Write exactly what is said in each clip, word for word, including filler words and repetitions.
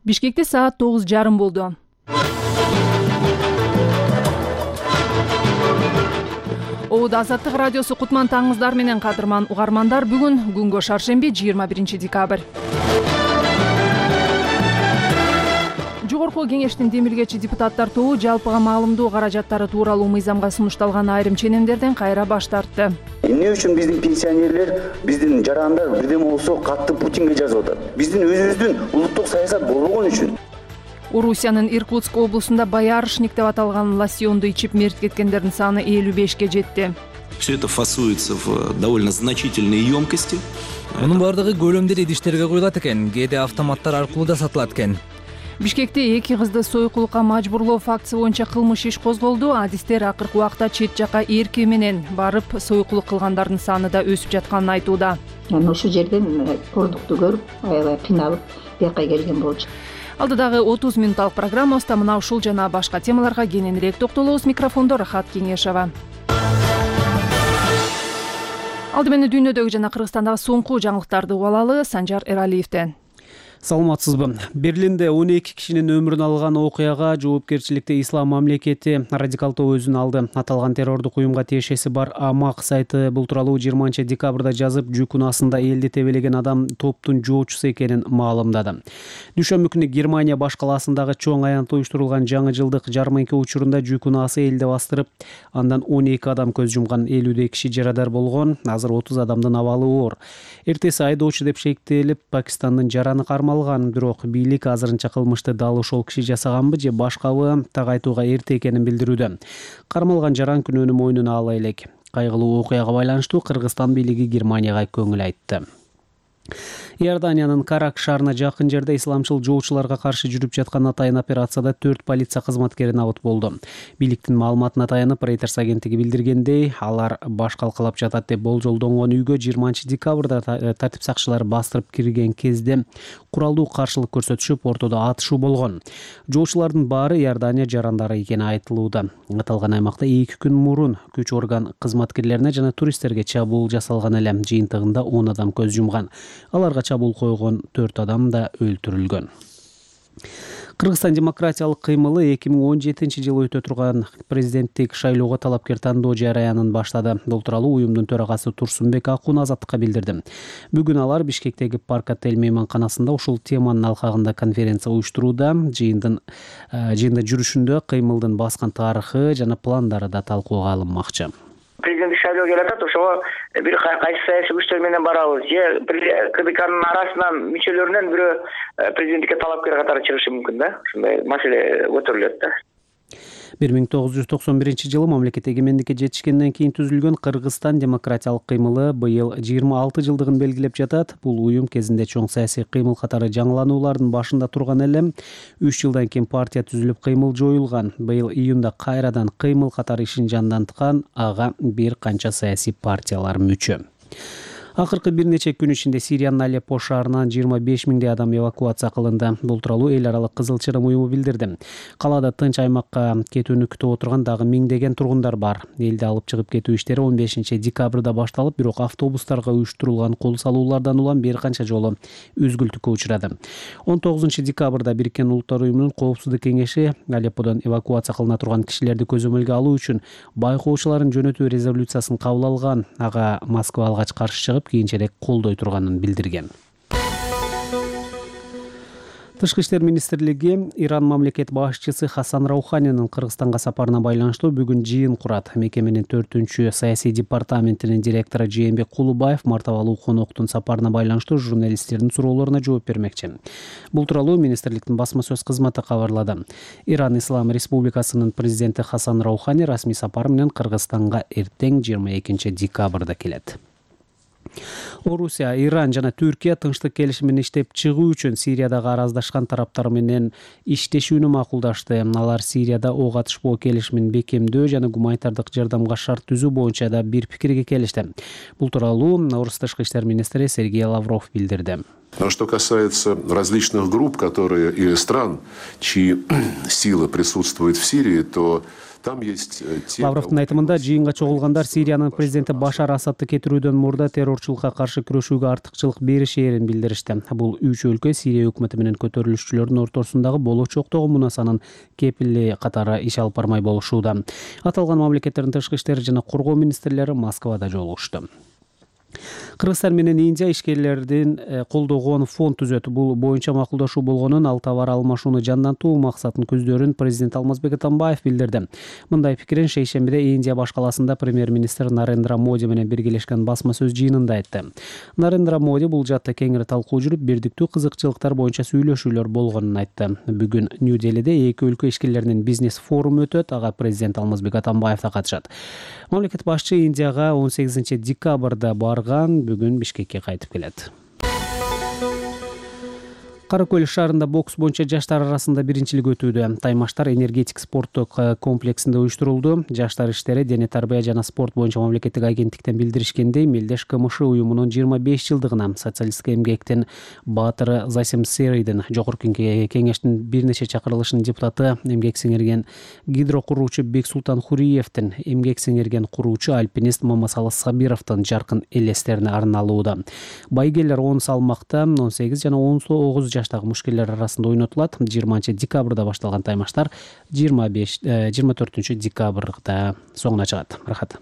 Бишкекте саат тогуз жарым болду. Оуд Азаттык радиосу кутман таңыңыздар менен кадырман угармандар. Бүгүн күнгө шаршемби жыйырма биринчи декабрь. Жогорку кеңештин демилгечи депутаттар тобу жалпыга маалымдоо каражаттары тууралуу мыйзамга сунушталган айрым ченемдерден кайра баш тартты. Эмне үчүн биздин пенсионерлер, биздин жарандар бирдеме болсо катты Путинге жазып атат? Биздин өзүбүздүн улуттук саясат болбогон үчүн. Орусиянын Иркутск облусунда Боярышник деп аталган лосьонду ичип мерт кеткендердин саны элүү бешке жетти. Все это фасуется в довольно значительные емкости. Мунун бардыгы көлөмдүү идиштерге куюлат экен, кээде автоматтар аркылуу да сатылат экен. Бишкекте эки кызды сойкулукка мажбурлоо фактысы боюнча кылмыш иш козголду. Адистер акыркы убакта чет жака эркек менен барып сойкулук кылгандардын саны да өсүп жатканын айтууда. Анан ошол жерден продукту көрүп, аябай кыйналып, бияка келген болчу. Алдыдагы отуз мүнөттүк программабызда мына ушул жана башка темаларга кененирээк токтолобуз. Микрофондо Рахат Кеңешова. Алды менен дүйнөдөгү жана Кыргызстандагы соңку жаңылыктарды угуп алалы Санжар Эралиевден. Саламатсызбы. Берлинде он эки кишинин өмүрүн алган окуяга жоопкерчиликти Ислам мамлекети радикалдуу өзүн алды. Аталган террордук уюмга тиешеси бар Амак сайты бул тууралуу жыйырманчы декабрда жазып, жүк унаасында элди тебелеген адам топтун жоочусу экенин маалымдады. Дүйшөмбү күнү Германия баш калаасындагы чоң аянтта уюштурулган жаңы жылдык жарманка учурунда жүк унаасы элди бастырып, андан он эки адам көз жумган, элүүдөй киши жарадар болгон. Азыр отуз адамдын абалы оор. Эртеси айдоочу деп шектелип, Пакистандын жараны кармалган. Бирок бийлик азырынча кылмышты дал ошол киши жасаганбы же башкабы так айтууга эрте экенин билдирүүдө. Кармалган жаран күнөөнү мойнуна ала элек. Кайгылуу окуяга байланыштуу Кыргызстан бийлиги Германияга көңүл айтты. Иорданиянын Карак шаарына жакын жерде исламчыл жоочуларга каршы жүрүп жаткан атайын операцияда төрт полиция кызматкери набыт болду. Бийликтин маалыматына таянып, Reuters агенттиги билдиргендей, алар баш калкалап жатат деп болжолдонгон үйгө жыйырманчы декабрда тартип сакчылары бастырып кирген кезде куралдуу каршылык көрсөтүшүп, ортодо атышуу болгон. Жоочулардын баары Иордания жарандары экени айтылууда. Аталган аймакта эки күн мурун күч орган кызматкерлерине жана туристтерге чабуул жасалган эле. Жыйынтыгында он адам көз жумган. Аларга чабуул койгон төрт адам да өлтүрүлгөн. Кыргызстан демократиялык кыймылы эки миң он жетинчи жылы өтө турган президенттик шайлоого талапкер тандоо жараянын баштады. Бул тууралуу уюмдун төрагасы Турсунбек Акун Азаттыкка билдирди. Бүгүн алар Бишкектеги Парк отель мейманканасында ушул теманын алкагында конференция уюштурууда. Жыйындын жыйында жүрүшүндө кыймылдын баскан тарыхы жана пландары да талкууга алынмакчы. Президенттик шайлоо келе атат, ошого бир кайсы саясий күчтөр менен барабыз. Же КДКнын арасынан мүчөлөрүнөн бирөө президенттикке талапкер катары чыгышы мүмкүн да. Ушундай маселе көтөрүлөт да. бир миң тогуз жүз токсон биринчи жылы мамлекет эгемендикке жетишкенден кийин түзүлгөн Кыргызстан демократиялык кыймылы быйыл жыйырма алты жылдыгын белгилеп жатат. Бул уюм кезинде чоң саясий кыймыл катары жаңылануулардын башында турган эле. үч жылдан кийин партия түзүлүп, кыймыл жоюлган. Быйыл июнда кайрадан кыймыл катары ишин жанданткан, ага бир канча саясий партиялар мүчө. Акыркы бир нече күн ичинде Сириянын Алеппо шаарынан жыйырма беш миңдей адам эвакуация кылынды. Бул тууралуу эл аралык Кызыл Чырым уюму билдирди. Калаада тынч аймакка кетүүнү күтүп отурган дагы миңдеген тургундар бар. Элди алып чыгып кетүү иштери он бешинчи декабрда башталып, бирок автобустарга уюштурулган кол салуулардан улам бир канча жолу үзгүлтүккө учурады. он тогузунчу декабрда Бириккен Улуттар уюмунун Коопсуздук кеңеши Алепподон эвакуация кылына турган кишилерди көзөмөлгө алуу үчүн байкоочуларын жөнөтүү резолюциясын кабыл алган. Ага Москва алгач каршы чыгып, кийинчерээк колдой турганын билдирген. Тышкы иштер министрлиги Иран мамлекет башчысы Хасан Рауханинин Кыргызстанга сапарына байланыштуу бүгүн жыйын курат. Мекеменин төртүнчү саясий департаментинин директору Жээнбек Кулубаев мартабалуу коноктун сапарына байланыштуу журналисттердин суроолоруна жооп бермекчи. Бул тууралуу министрликтин басма сөз кызматы кабарлады. Иран Ислам Республикасынын президенти Хасан Раухани расмий сапар менен Кыргызстанга эртең жыйырма экинчи декабрда келет. Орусия, Иран жана Түркия тынчтык келишимин иштеп чыгуу үчүн Сириядагы араздашкан тараптар менен иштешүүнү макулдашты. Алар Сирияда ок атышпоо келишимин бекемдөө жана гуманитардык жардамга шарт түзүү боюнча да бир пикирге келишти. Бул тууралуу Орус тышкы иштер министри Сергей Лавров билдирди. А что касается различных групп, которые и стран, чьи силы присутствуют в Сирии, то там есть те... Лавровдун айтымында жыйынга чогулгандар Сириянын президенти Башар Асадты кетирүүдөн мурда террорчулукка каршы күрөшүүгө артыкчылык беришээрин билдиришти. Бул үч өлкө Сирия өкмөтү менен көтөрүлүшчүлөрдүн ортосундагы болочоктогу мунасанын кепили катары иш алып бармай болушууда. Аталган мамлекеттердин тышкы иштери жана коргоо министрлери Москвада жолугушту. Кыргызстан менен Индия ишкерлердин колдогон фонд түзөт. Бул боюнча макулдашуу болгонун, ал товар алмашууну жандантуу максатын көздөрүн президент Алмазбек Атамбаев билдирди. Мындай пикирин шейшембиде Индия баш каласында премьер-министр Нарендра Моди менен биргелешкен басма сөз жыйынында айтты. Нарендра Моди бул жаатта кеңири талкуу жүрүп, бирдиктүү кызыкчылыктар боюнча сүйлөшүүлөр болгонун айтты. Бүгүн Нью-Делиде эки өлкө ишкерлеринин бизнес форуму өтөт. Ага президент Алмазбек Атамбаев да катышат. Мамлекет башчы Индияга он сегизинчи декабрда барган, бүгүн Бишкекке кайтып келет. Кара Көл шаарында бокс боюнча жаштар арасында биринчилик өтүүдө. Таймаштар энергетик спорттук комплексинде уюштурулду. Жаштар иштери дене тарбия жана спорт боюнча мамлекеттик агенттиктен билдиришкендей, Мелдеш КМШ уюмунун жыйырма беш жылдыгына социалисттик эмгектин баатыры Засим Серийдин жогорку кеңештин бир нече чакырылышынын депутаты, эмгек сиңирген гидро куруучу Бексултан Хуриевдин, эмгек сиңирген куруучу альпинист Мамасалы Сабировдун жаркын элестерине арналууда. Байгелер он салмакта он сегиз жана он тогуз жаштагы мушкелер арасында ойнотулат. жыйырманчы декабрда башталган таймаштар жыйырма беш жыйырма төртүнчү декабрда соңуна чыгат. Рахат.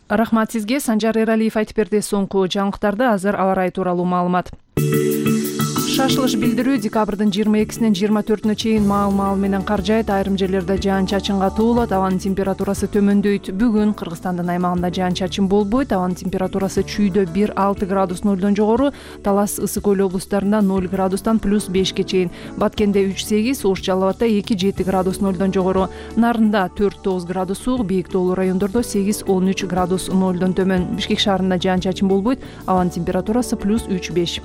Рахмат сизге. Санжар Эралиев айтып берди. Соңку жаңылыктарды азыр аба ырайы тууралуу маалымат. Шашылыш билдирүү декабрдын жыйырма экисинен жыйырма төртүнө чейин маал-маал менен кар жаайт, айрым жерлерде жаан-чачынга туулат, абанын температурасы төмөндөйт. Бүгүн Кыргызстандын аймагында жаан-чачын болбойт, абанын температурасы чүйдө бир алты градус нолдон жогору, Талас, Ысык Көл облустарында ноль градустан плюс бешке чейин, Баткенде үч сегиз, Ош Жалал Абадта эки жети градус нолдон жогору, Нарында төрт тогуз градус суук, бийик тоолуу райондордо сегиз он үч градус нолдон төмөн. Бишкек шаарында жаан-чачын болбойт, абанын температурасы плюс үч беш.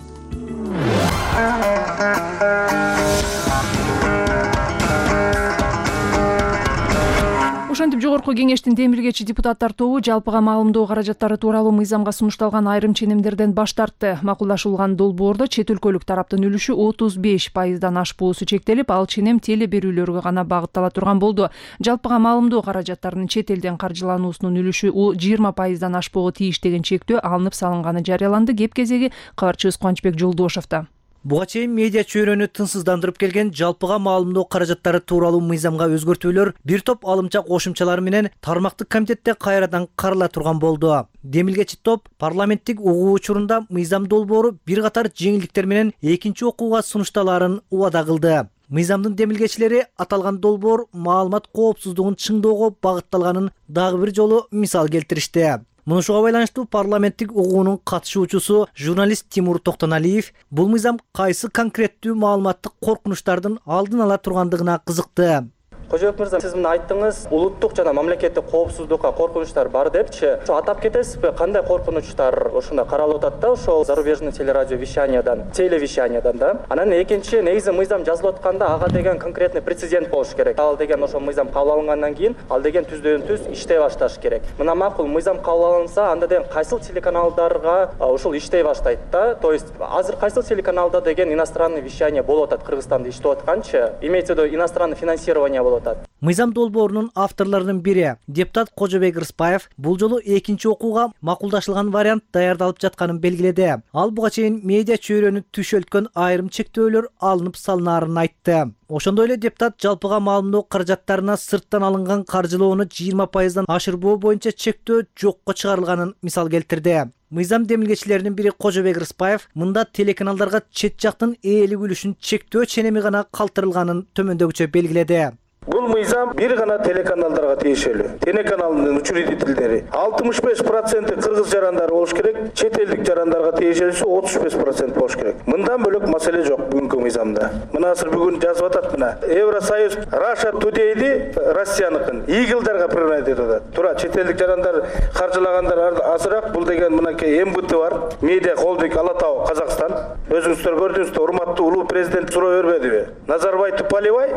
Ошентип жогорку кеңештин демилгечи депутаттар тобу жалпыга маалымдоо каражаттары тууралуу мыйзамга сунушталган айрым ченемдерден баш тартты. Макулдашылган долбоордо чет өлкөлүк тараптын үлүшү отуз беш пайыздан ашпоосу чектелип, ал ченем теле берүүлөргө гана багыттала турган болду. Жалпыга маалымдоо каражаттарынын чет элден каржылануусунун үлүшү жыйырма пайыздан ашпоого тийиш деген чектөө алынып салынганы жарыяланды. Кеп кезеги кабарчыбыз Кубанычбек Жолдошовдо. Буга чейин медиа чөйрөнү тынсыздандырып келген жалпыга маалымдоо каражаттары тууралуу мыйзамга өзгөртүүлөр бир топ алымча кошумчалар менен тармактык комитетте кайрадан карала турган болду. Демилгечи топ парламенттик угуу учурунда мыйзам долбоору бир катар жеңилдиктер менен экинчи окууга сунушталаарын убада кылды. Мыйзамдын демилгечилери аталган долбоор маалымат коопсуздугун чыңдоого багытталганын дагы бир жолу мисал келтиришти. Мунушуга байланыштуу парламенттик угуунун катышуучусу журналист Тимур Токтоналиев бул мыйзам кайсы конкреттүү маалыматтык коркунучтардын алдын ала тургандыгына кызыкты. Кожоев мырза, сиз мына айттыңыз, улуттук жана мамлекеттик коопсуздукка коркунучтар бар депчи. Ошо атап кетесизби, кандай коркунучтар ошондо каралып атат да, ошол зарубежный телерадио вещаниядан, телевещаниядан да. Анан экинчи, негизи мыйзам жазылып атканда ага деген конкретный прецедент болуш керек. Ал деген ошол мыйзам кабыл алынгандан кийин ал деген түздөн түз иштей башташ керек. Мына макул мыйзам кабыл алынса, анда деген кайсыл телеканалдарга ушул иштей баштайт да. То есть азыр кайсыл телеканалда деген иностранный вещание болуп атат Кыргызстанда иштеп атканчы, имеется в виду иностранное финансирование болуп. Мыйзам долбоорунун авторлорунун бири депутат Кожобек Рыспаев бул жолу экинчи окууга макулдашылган вариант даярдалып жатканын белгиледи. Ал буга чейин медиа чөйрөнү түшөлткөн айрым чектөөлөр алынып салынаарын айтты. Ошондой эле депутат жалпыга маалымдоо каражаттарына сырттан алынган каржылоону жыйырма пайыздан ашырбоо боюнча чектөө жокко чыгарылганын мисал келтирди. Мыйзам демилгечилеринин бири Кожобек Рыспаев мында телеканалдарга чет жактын ээлик үлүшүн чектөө ченеми гана калтырылганын төмөндөгүчө белгиледи. Бул мыйзам бир гана телеканалдарга тиешелүү. Телеканалдын учредительдери алтымыш беш проценти кыргыз жарандары болуш керек, чет элдик жарандарга тиешелүүсү отуз беш процент болуш керек. Мындан бөлөк маселе жок бүгүнкү мыйзамда. Мына азыр бүгүн жазып атат мына. Евросоюз Russia Today'ди Россияныкын Eagle'дарга приравнять этип атат. Туура чет элдик жарандар каржылагандар азыраак. Бул деген мынакей эм бэ тэ бар. Медиа холдинг Ала Тоо Казакстан. Өзүңүздөр көрдүңүздөр, урматтуу улуу президент суроо бербедиби? Назарбай Туполевай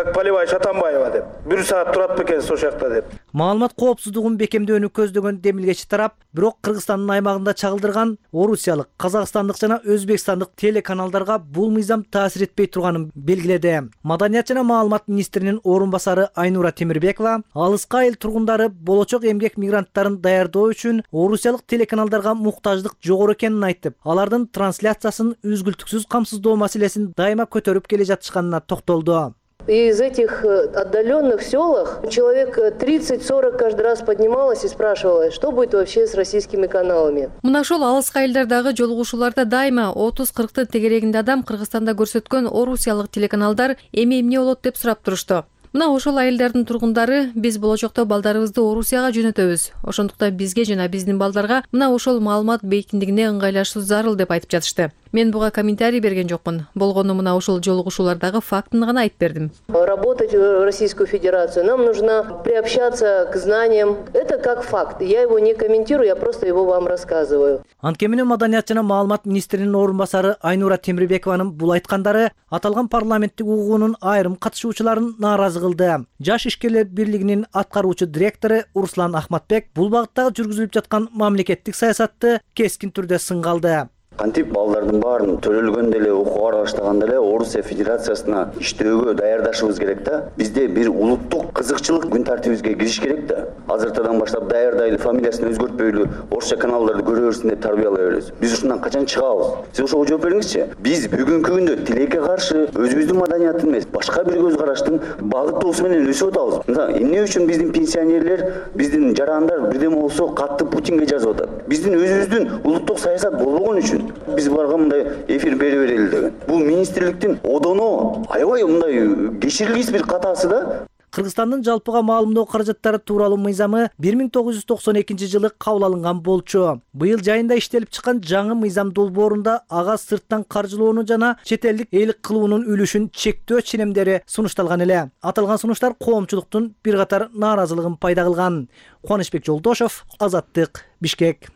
как Полевая Шатамбаева деп. Бир саат турат бекенсиз ошол жакта деп. Маалымат коопсуздугун бекемдөөнү көздөгөн демилгечи тарап бирок Кыргызстандын аймагында чагылдырган орусиялык, казакстандык жана өзбекстандык телеканалдарга бул мыйзам таасир этпей турганын белгиледи. Маданият жана маалымат министринин орун басары Айнура Темирбекова алыска айыл тургундары болочок эмгек мигранттарын даярдоо үчүн орусиялык телеканалдарга муктаждык жогору экенин айтып, алардын трансляциясын үзгүлтүксүз камсыздоо маселесин дайыма көтөрүп келе жатышканына токтолду. Из этих отдаленных селах человек тридцать-сорок каждый раз поднималось и спрашивало, что будет вообще с российскими каналами. Мына ошол алыска айылдардагы жолугушууларда дайыма отуз-кырктын тегерегинде адам Кыргызстанда көрсөткөн орусиялык телеканалдар эми эмне болот деп сурап турушту. Мына ошол айылдардын тургундары биз болочокто балдарыбызды Орусияга жөнөтөбүз. Ошондуктан бизге жана биздин балдарга мына ошол маалымат бейкиндигине ыңгайлашуу зарыл деп айтып жатышты. Мен буга комментарий берген жокмун. Болгону мына ошол жолугушуулардагы фактыны гана айтып бердим. Работать в Российскую Федерацию нам нужно приобщаться к знаниям. Это как факт. Я его не комментирую, я просто его вам рассказываю. Анткени Маданият жана маалымат министринин орун басары Айнура Темирбекованын бул айткандары аталган парламенттик угуунун айрым катышуучуларын нааразы кылды. Жаш ишкерлер бирлигинин аткаруучу директору Руслан Ахматбек бул багыттагы жүргүзүлүп жаткан мамлекеттик саясатты кескин түрдө сынга алды. Кантип балдардын баарын төлөлгөндө эле окууга баштаганда эле Орусия Федерациясына иштөөгө даярдашыбыз керек да. Бизде бир улуттук кызыкчылык күн тартибибизге кириш керек да. Азыртадан баштап даярдайлы, фамилиясын өзгөртпөйлү, орусча каналдарды көрө берсин деп тарбиялай беребиз. Биз ушундан качан чыгабыз? Сиз ошого жооп бериңизчи. Биз бүгүнкү күндө тилекке каршы өзүбүздүн маданиятты эмес, башка бир көз караштын багыттоосу менен өсүп атабыз. Мисалы, эмне үчүн биздин пенсионерлер, биздин жарандар бирдеме болсо катты Путинге жазып атат? Биздин өзүбүздүн улуттук саясат болбогон үчүн биз барга мындай эфир бере берели деген. Бул министрликтин одоно аябай мындай кечирилгис бир катасы да. Кыргызстандын жалпыга маалымдоо каражаттары тууралуу мыйзамы бир миң тогуз жүз токсон экинчи жылы кабыл алынган болчу. Быйыл жайында иштелип чыккан жаңы мыйзам долбоорунда ага сырттан каржылоону жана чет элдик ээлик кылуунун үлүшүн чектөө ченемдери сунушталган эле. Аталган сунуштар коомчулуктун бир катар нааразылыгын пайда кылган. Кубанычбек Жолдошов, Азаттык, Бишкек.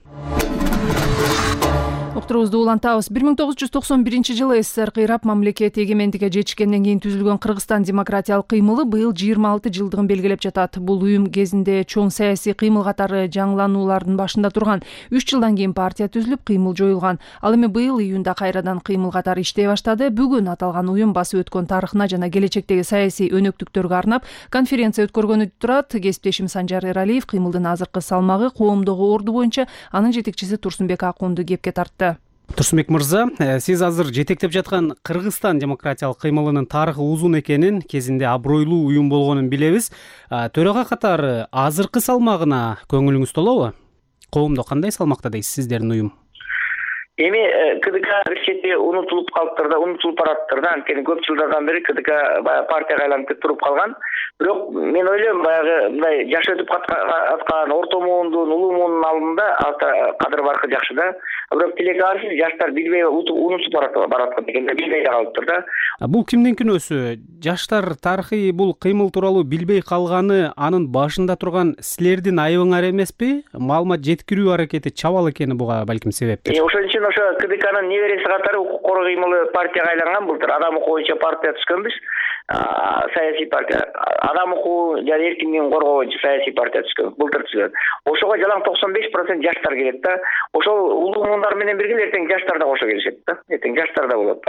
Уктурубузду улантабыз. бир миң тогуз жүз токсон биринчи жылы СССР кыйрап мамлекет эгемендикке жетишкенден кийин түзүлгөн Кыргызстан демократиялык кыймылы быйыл жыйырма алты жылдыгын белгилеп жатат. Бул уюм кезинде чоң саясий кыймыл катары жаңылануулардын башында турган. үч жылдан кийин партия түзүлүп, кыймыл жоюлган. Ал эми быйыл июнда кайрадан кыймыл катары иштей баштады. Бүгүн аталган уюм басып өткөн тарыхына жана келечектеги саясий өнөктүктөргө арнап конференция өткөргөнү турат. Кесиптешим Санжар Эралиев кыймылдын азыркы салмагы, коомдогу орду боюнча анын жетекчиси Турсунбек Акунду кепке тартты. Турсунбек мырза, сиз азыр жетектеп жаткан Кыргызстан демократиялык кыймылынын тарыхы узун экенин, кезинде абройлуу уюм болгонун билебиз. Төрага катары азыркы салмагына көңүлүңүз толобу? Коомдо кандай салмакта дейсиз сиздердин уюм? Эми КДК бир чети унутулуп калыптыр да, унутулуп бараттыр да. Анткени көп жылдардан бери КДК баягы партияга айланып туруп калган. Бирок мен ойлойм, баягы мындай жаш өтүп аткан орто муундун, улуу муунун алдында кадыр баркы жакшы да. Бирок тилекке каршы жаштар билбей унутуп бараткан экен, билбей калыптыр да. Бул кимдин күнөөсү? Жаштар тарыхый бул кыймыл тууралуу билбей калганы анын башында турган силердин айыбыңар эмеспи? Маалымат жеткирүү аракети чабал экени буга балким себептир. Ошон үчүн ошо КДКнын небереси катары укук коргоо кыймылы партияга айланган былтыр. Адам укугу боюнча партия түшкөнбүз. Саясий партия. Адам укугу жана эркиндигин коргоо боюнча саясий партия түшкөн. Былтыр түшкөн. Ошого жалаң токсон беш процент жаштар келет да. Ошол улуу муундар менен бирге эртең жаштар да кошо келишет да. Эртең жаштар да болот.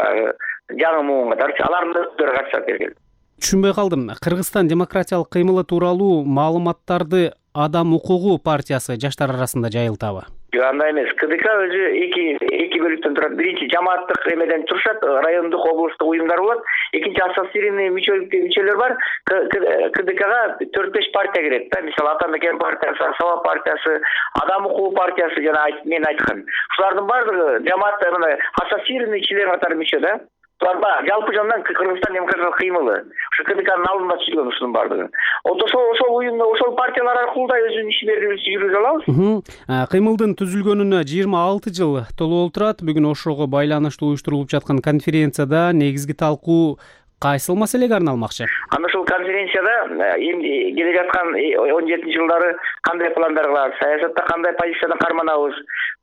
Жаңы муун катары алардын өздөрү катышат эркек. Түшүнбөй калдым. Кыргызстан демократиялык кыймылы тууралуу маалыматтарды Адам укугу партиясы жаштар арасында жайылтабы? Андай эмес. КДК өзү эки эки бөлүктөн турат. Биринчи жамааттык эмеден турушат, райондук, облустук уюмдар болот. Экинчи ассоциированный мүчөлөр бар. КДКга төрт беш партия кирет да. Мисалы Ата Мекен партиясы, Саба партиясы, Адам укугу партиясы жана мен айткан. Ушулардын баардыгы жамаат мындай ассоциированный член катары мүчө да. Жалпы жандан Кыргызстан демократиялык кыймылы. Ушу КДКнын алдында түзүлгөн ушунун баардыгы. Ошол ошол уюмда, ошол партиялар аркылуу да өзүнүн ишмердүүлүгүн жүргүзө алабыз. Кыймылдын түзүлгөнүнө жыйырма алты жыл толуп турат. Бүгүн ошого байланыштуу уюштурулуп жаткан конференцияда негизги талкуу кайсыл маселеге арналмакчы? Анда ушул конференцияда эми келе жаткан он жетинчи жылдары кандай пландар кылабыз, саясатта кандай позицияны карманабыз,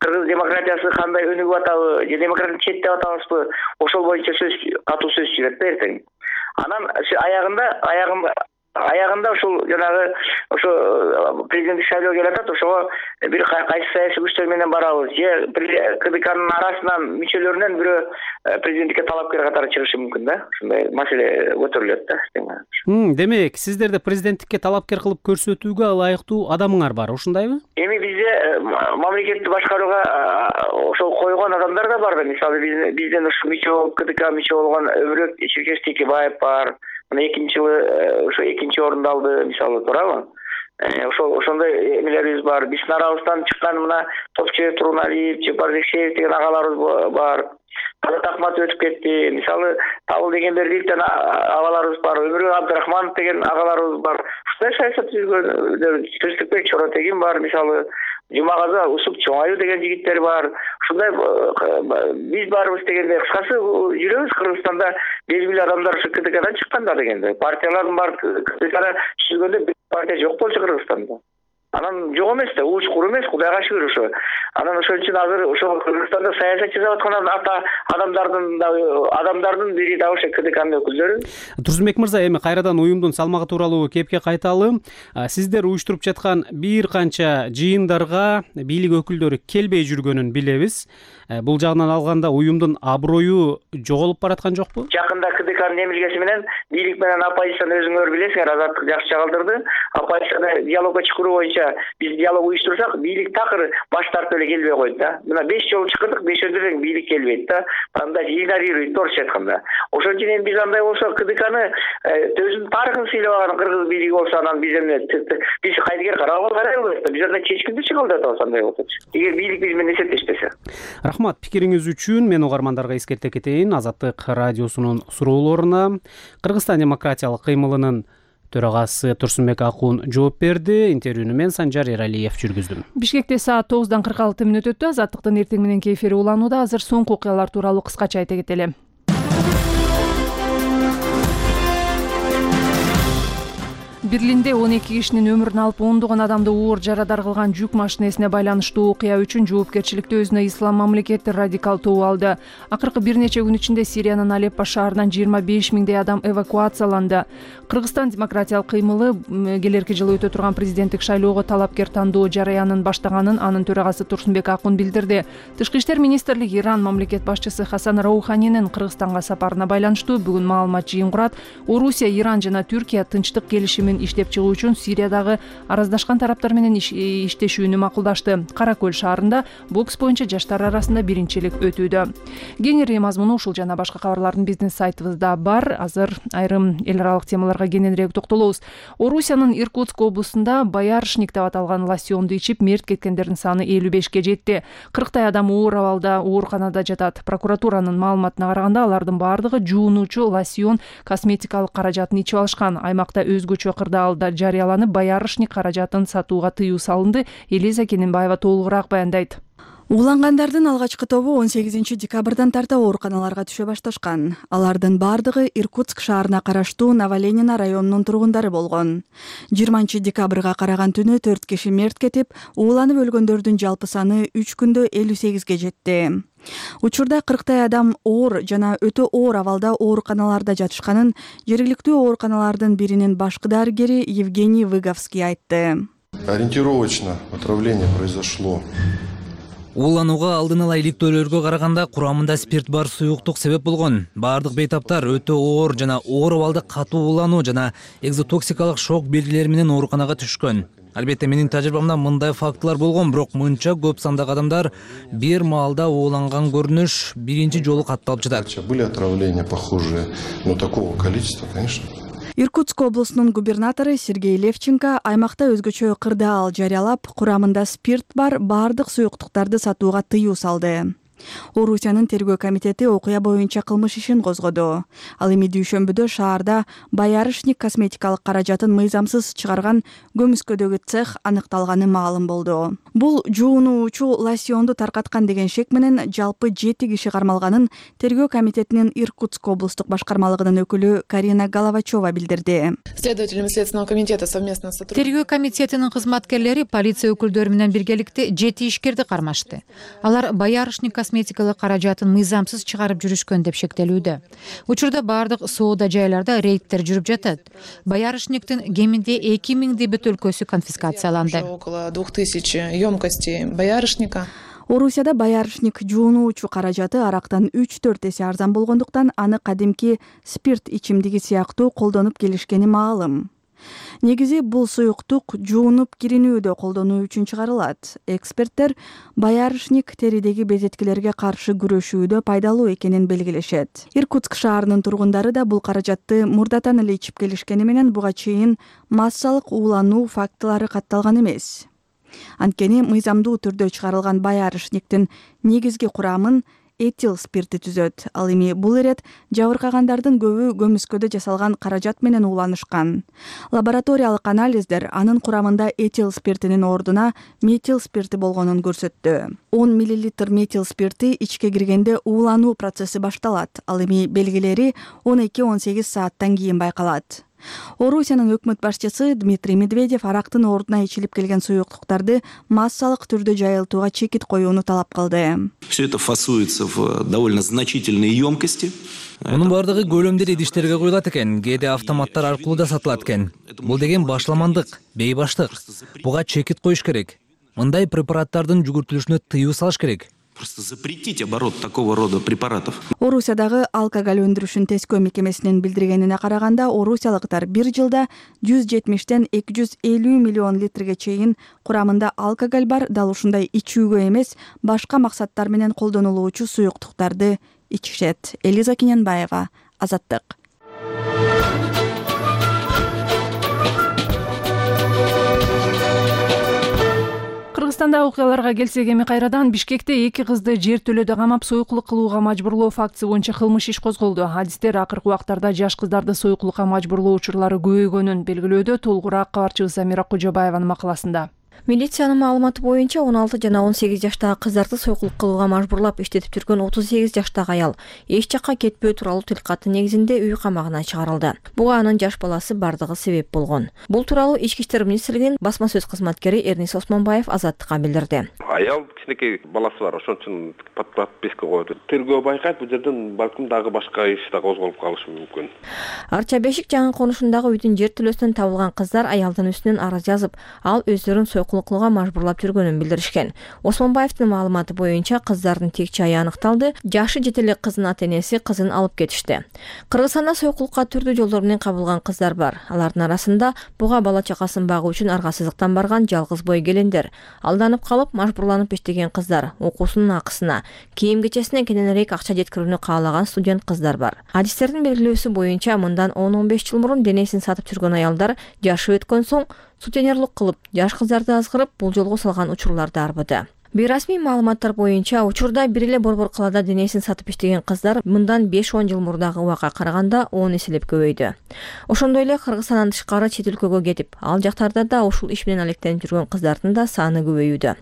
кыргыз демократиясы кандай өнүгүп атабы, же демократияны четтеп атабызбы, ошол боюнча сөз, катуу сөз жүрөт да эртең. анан аягында аягында аягында ушул жанагы ошо президенттик шайлоо келе атат, ошого бир кайсы саясий күчтөр менен барабыз же КДКнын арасынан мүчөлөрүнөн бирөө президенттикке талапкер катары чыгышы мүмкүн да. Ушундай маселе көтөрүлөт да. Демек, сиздерде президенттикке талапкер кылып көрсөтүүгө ылайыктуу адамыңар бар, ушундайбы? Эми бизде мамлекетти башкарууга ошол койгон адамдар да бар да. Мисалы бизден ушу мүчө КДК мүчө болгон Өбүрөк Черкеш Текебаев бар. Мына экинчи жылы ошо экинчи орунду алды, мисалы, туурабы? Ошол ошондой эмелерибиз бар. Биздин арабыздан чыккан мына Топчебек Туруналиев, Жапар Жекшеев деген агаларыбыз бар. Азат Акматов өтүп кетти. Мисалы, Табыл деген Бердиевден агаларыбыз бар. Өмүрбек Абдрахманов деген агаларыбыз бар. Ушундай саясат жүргөн Тынчтыкбек Чоротегин бар, мисалы. Жумагазы Усуп Чоңаю деген жигиттер бар. Ушундай биз барбыз дегенде, кыскасы жүрөбүз Кыргызстанда белгилүү адамдар ушу КДКдан чыккандар дегенде. Партиялардын бар КДКда түзүлгөндө бир партия жок болчу Кыргызстанда. Анан жок эмес да, учкур эмес, Кудайга шүгүр ошо. Анан ошон үчүн азыр ошо Кыргызстанда саясат жасап аткан ата адамдардын адамдардын бири да ошо КДКнын өкүлдөрү. Турсунбек мырза, эми кайрадан уюмдун салмагы тууралуу кепке кайталы. Сиздер уюштуруп жаткан бир канча жыйындарга бийлик өкүлдөрү келбей жүргөнүн билебиз. Бул жагынан алганда уюмдун аброю жоголуп бараткан жокпу? Жакында КДКнын эмилгеси менен бийлик менен оппозицияны өзүңөр билесиңер, Азаттык жакшы чагылдырды. Оппозицияны диалогго чакыруу боюнча биз диалог уюштурсак, бийлик такыр баш тартып эле келбей койду да. Мына беш жолу чакырдык, бешөөдө эле бийлик келбейт да. Анда игнорируйт, орусча айтканда. Ошон үчүн эми биз андай болсо КДКны өзүнүн тарыхын сыйлабаган кыргыз бийлиги болсо, анан биз эми биз кайдыгер карабыз карай албайбыз да. Биз анда чечкиндүү чыгылдап атабыз андай болсо. Эгер бийлик биз менен эсептешпесе. Рахмат, пикириңиз үчүн. Мен угармандарга эскерте кетейин. Азаттык радиосунун суроолоруна Кыргызстан демократиялык кыймылынын төрагасы Турсунбек Акун жооп берди. Интервьюну мен Санжар Эралиев жүргүздүм. Бишкекте саат тогуздан кырк алты мүнөт өттү. Азаттыктын эртең мененки эфири уланууда. Азыр соңку окуялар тууралуу кыскача айта кетели. Берлинде он эки кишинин өмүрүн алып, ондогон адамды оор жарадар кылган жүк машинесине байланыштуу окуя үчүн жоопкерчиликти өзүнө Ислам мамлекети радикал тобу алды. Акыркы бир нече күн ичинде Сириянын Алеппо шаарынан жыйырма беш миңдей адам эвакуацияланды. Кыргызстан демократиялык кыймылы келерки жылы өтө турган президенттик шайлоого талапкер тандоо жараянын баштаганын анын төрагасы Турсунбек Акун билдирди. Тышкы иштер министрлиги Иран мамлекет башчысы Хасан Рауханинин Кыргызстанга сапарына байланыштуу бүгүн маалымат жыйын курат. Орусия, Иран жана Түркия тынчтык келишимин иштеп чыгуу үчүн Сириядагы араздашкан тараптар менен иштешүүнү макулдашты. Кара Көл шаарында бокс боюнча жаштар арасында биринчилик өтүүдө. Кеңири мазмуну ушул жана башка кабарлардын биздин сайтыбызда бар. Азыр айрым эл аралык темаларга кененирээк токтолобуз. Орусиянын Иркутск облусунда Боярышник деп аталган лосьонду ичип мерт кеткендердин саны элүү бешке жетти. кырктай адам оор абалда ооруканада жатат. Прокуратуранын маалыматына караганда алардын баардыгы жуунуучу лосьон косметикалык каражатын ичип алышкан. Аймакта өзгөчө кырдаалда жарыяланып, Боярышник каражатын сатууга тыюу салынды. Элиза Кененбаева толугураак баяндайт. Улангандардын алгачкы тобу он сегизинчи декабрдан тарта ооруканаларга түшө башташкан. Алардын бардыгы Иркутск шаарына караштуу Новоленина районунун тургундары болгон. жыйырманчы декабрга караган түнү төрт киши мерт кетип, ууланып өлгөндөрдүн жалпы саны үч күндө элүү сегизге жетти. Учурда кырктай адам оор жана өтө оор абалда ооруканаларда жатышканын жергиликтүү ооруканалардын биринин башкы дарыгери Евгений Выговский айтты. Ориентировочно отравление произошло. Ууланууга алдын ала иликтөөлөргө караганда курамында спирт бар суюктук себеп болгон. Бардык бейтаптар өтө оор жана оор абалда катуу уулануу жана экзотоксикалык шок белгилери менен ооруканага түшкөн. Албетте менин тажрыйбамда мындай фактылар болгон, бирок мынча көп сандагы адамдар бир маалда ууланган көрүнүш биринчи жолу катталып жатат. Были отравления похожие, но такого количества, конечно. Иркутск облусунун губернатору Сергей Левченко аймакта өзгөчө кырдаал жарыялап, курамында спирт бар бардык суюктуктарды сатууга тыюу салды. Орусиянын тергөө комитети окуя боюнча кылмыш ишин козгоду. Ал эми дүйшөмбүдө шаарда Боярышник косметикалык каражатын мыйзамсыз чыгарган көмүскөдөгү цех аныкталганы маалым болду. Бул жуунуучу лосьонду таркаткан деген шек менен жалпы жети киши кармалганын тергөө комитетинин Иркутск облустук башкармалыгынын өкүлү Карина Головачева билдирди. Следователями Следственного комитета совместно сотрудничали. Тергөө комитетинин кызматкерлери полиция өкүлдөрү менен биргеликте жети ишкерди кармашты. Алар Боярышник косметикалык каражатын мыйзамсыз чыгарып жүрүшкөн деп шектелүүдө. Учурда баардык соода жайларда рейдтер жүрүп жатат. Боярышниктин кеминде эки миңдей бөтөлкөсү конфискацияланды. Около двух тысяч емкостей боярышника. Орусияда боярышник жуунуучу каражаты арактан үч төрт эсе арзан болгондуктан аны кадимки спирт ичимдиги сыяктуу колдонуп келишкени маалым. Негизи бул суюктук жуунуп киринүүдө колдонуу үчүн чыгарылат. Эксперттер боярышник теридеги безеткилерге каршы күрөшүүдө пайдалуу экенин белгилешет. Иркутск шаарынын тургундары да бул каражатты мурдатан эле ичип келишкени менен буга чейин массалык уулануу фактылары катталган эмес. Анткени мыйзамдуу түрдө чыгарылган боярышниктин негизги курамын этил спирти түзөт. Ал эми бул ирет жабыркагандардын көбү көмүскөдө жасалган каражат менен ууланышкан. Лабораториялык анализдер анын курамында этил спиртинин ордуна метил спирти болгонун көрсөттү. он миллилитр метил спирти ичке киргенде уулануу процесси башталат. Ал эми белгилери он эки он сегиз сааттан кийин байкалат. Орусиянын өкмөт башчысы Дмитрий Медведев арактын ордуна ичилип келген суюктуктарды массалык түрдө жайылтууга чекит коюуну талап кылды. Все это фасуется в довольно значительные емкости. Мунун бардыгы көлөмдүү идиштерге коюлат экен, кээде автоматтар аркылуу да сатылат экен. Бул деген башламандык, бейбаштык. Буга чекит коюш керек. Мындай препараттардын жүгүртүлүшүнө тыюу салыш керек. Просто запретить оборот такого рода препаратов. Орусиядагы алкоголь өндүрүшүн тескөө мекемесинин билдиргенине караганда, орусиялыктар бир жылда жүз жетимиштен эки жүз элүү миллион литрге чейин курамында алкоголь бар, дал ушундай ичүүгө эмес, башка максаттар менен колдонулуучу суюктуктарды ичишет. Элиза Кененбаева, Азаттык. Кыргызстанда окуяларга келсек, эми кайрадан Бишкекте эки кызды жер төлөдө камап союклук кылууга мажбурлоо фактысы боюнча кылмыш иш козголду. Адистер акыркы убактарда жаш кыздарды союклукка мажбурлоо учурлары көбөйгөнүн белгилөөдө. Толугураак кабарчыбыз Замира Кожобаеванын макаласында. Милициянын маалыматы боюнча он алты жана он сегиз жаштагы кыздарды союклук кылууга мажбурлап иштетип жүргөн отуз сегиз жаштагы аял эч жакка кетпөө тууралуу тилкаты негизинде үй камагына чыгарылды. Буга анын жаш баласы бардыгы себеп болгон. Бул тууралуу Ички иштер министрлигинин басма сөз кызматкери Эрнис Осмонбаев Азаттыкка билдирди. Аял кичинекей баласы бар, ошон үчүн подписка койду. Тергөө байкайт, бул жерден балким дагы башка иш да козголуп калышы мүмкүн. Арча Бешик жаңы конушундагы үйдүн жер төлөөсүнөн табылган кыздар аялдын үстүнөн арыз жазып, ал өздөрүн союклук кылууга мажбурлап жүргөнүн билдиришкен. Осмонбаевдин маалыматы боюнча кыздардын тек чайы аныкталды. Жашы жете элек кыздын ата-энеси кызын алып кетишти. Кыргызстанда союклукка түрдүү жолдор менен кабылган кыздар бар. Алардын арасында буга бала чакасын багуу үчүн аргасыздыктан барган жалгыз бой келиндер, алданып калып мажбурланып иштеген кыздар, окуусунун акысына, кийим-кечесине кененирээк акча жеткирүүнү каалаган студент кыздар бар. Адистердин белгилөөсү боюнча мындан он он беш жыл мурун денесин сатып жүргөн аялдар жашы өткөн соң сутенерлук кылып, жаш кыздарды азгырып, бул жолго салган учурларды арбыды. Бейрасмий маалыматтар боюнча учурда бир эле борбор калаада денесин сатып иштеген кыздар мындан беш он жыл мурдагы убакка караганда он эселеп көбөйдү. Ошондой эле Кыргызстандан тышкары чет өлкөгө кетип, ал жактарда да ушул иш менен алектенип жүргөн кыздардын да саны көбөйүүдө.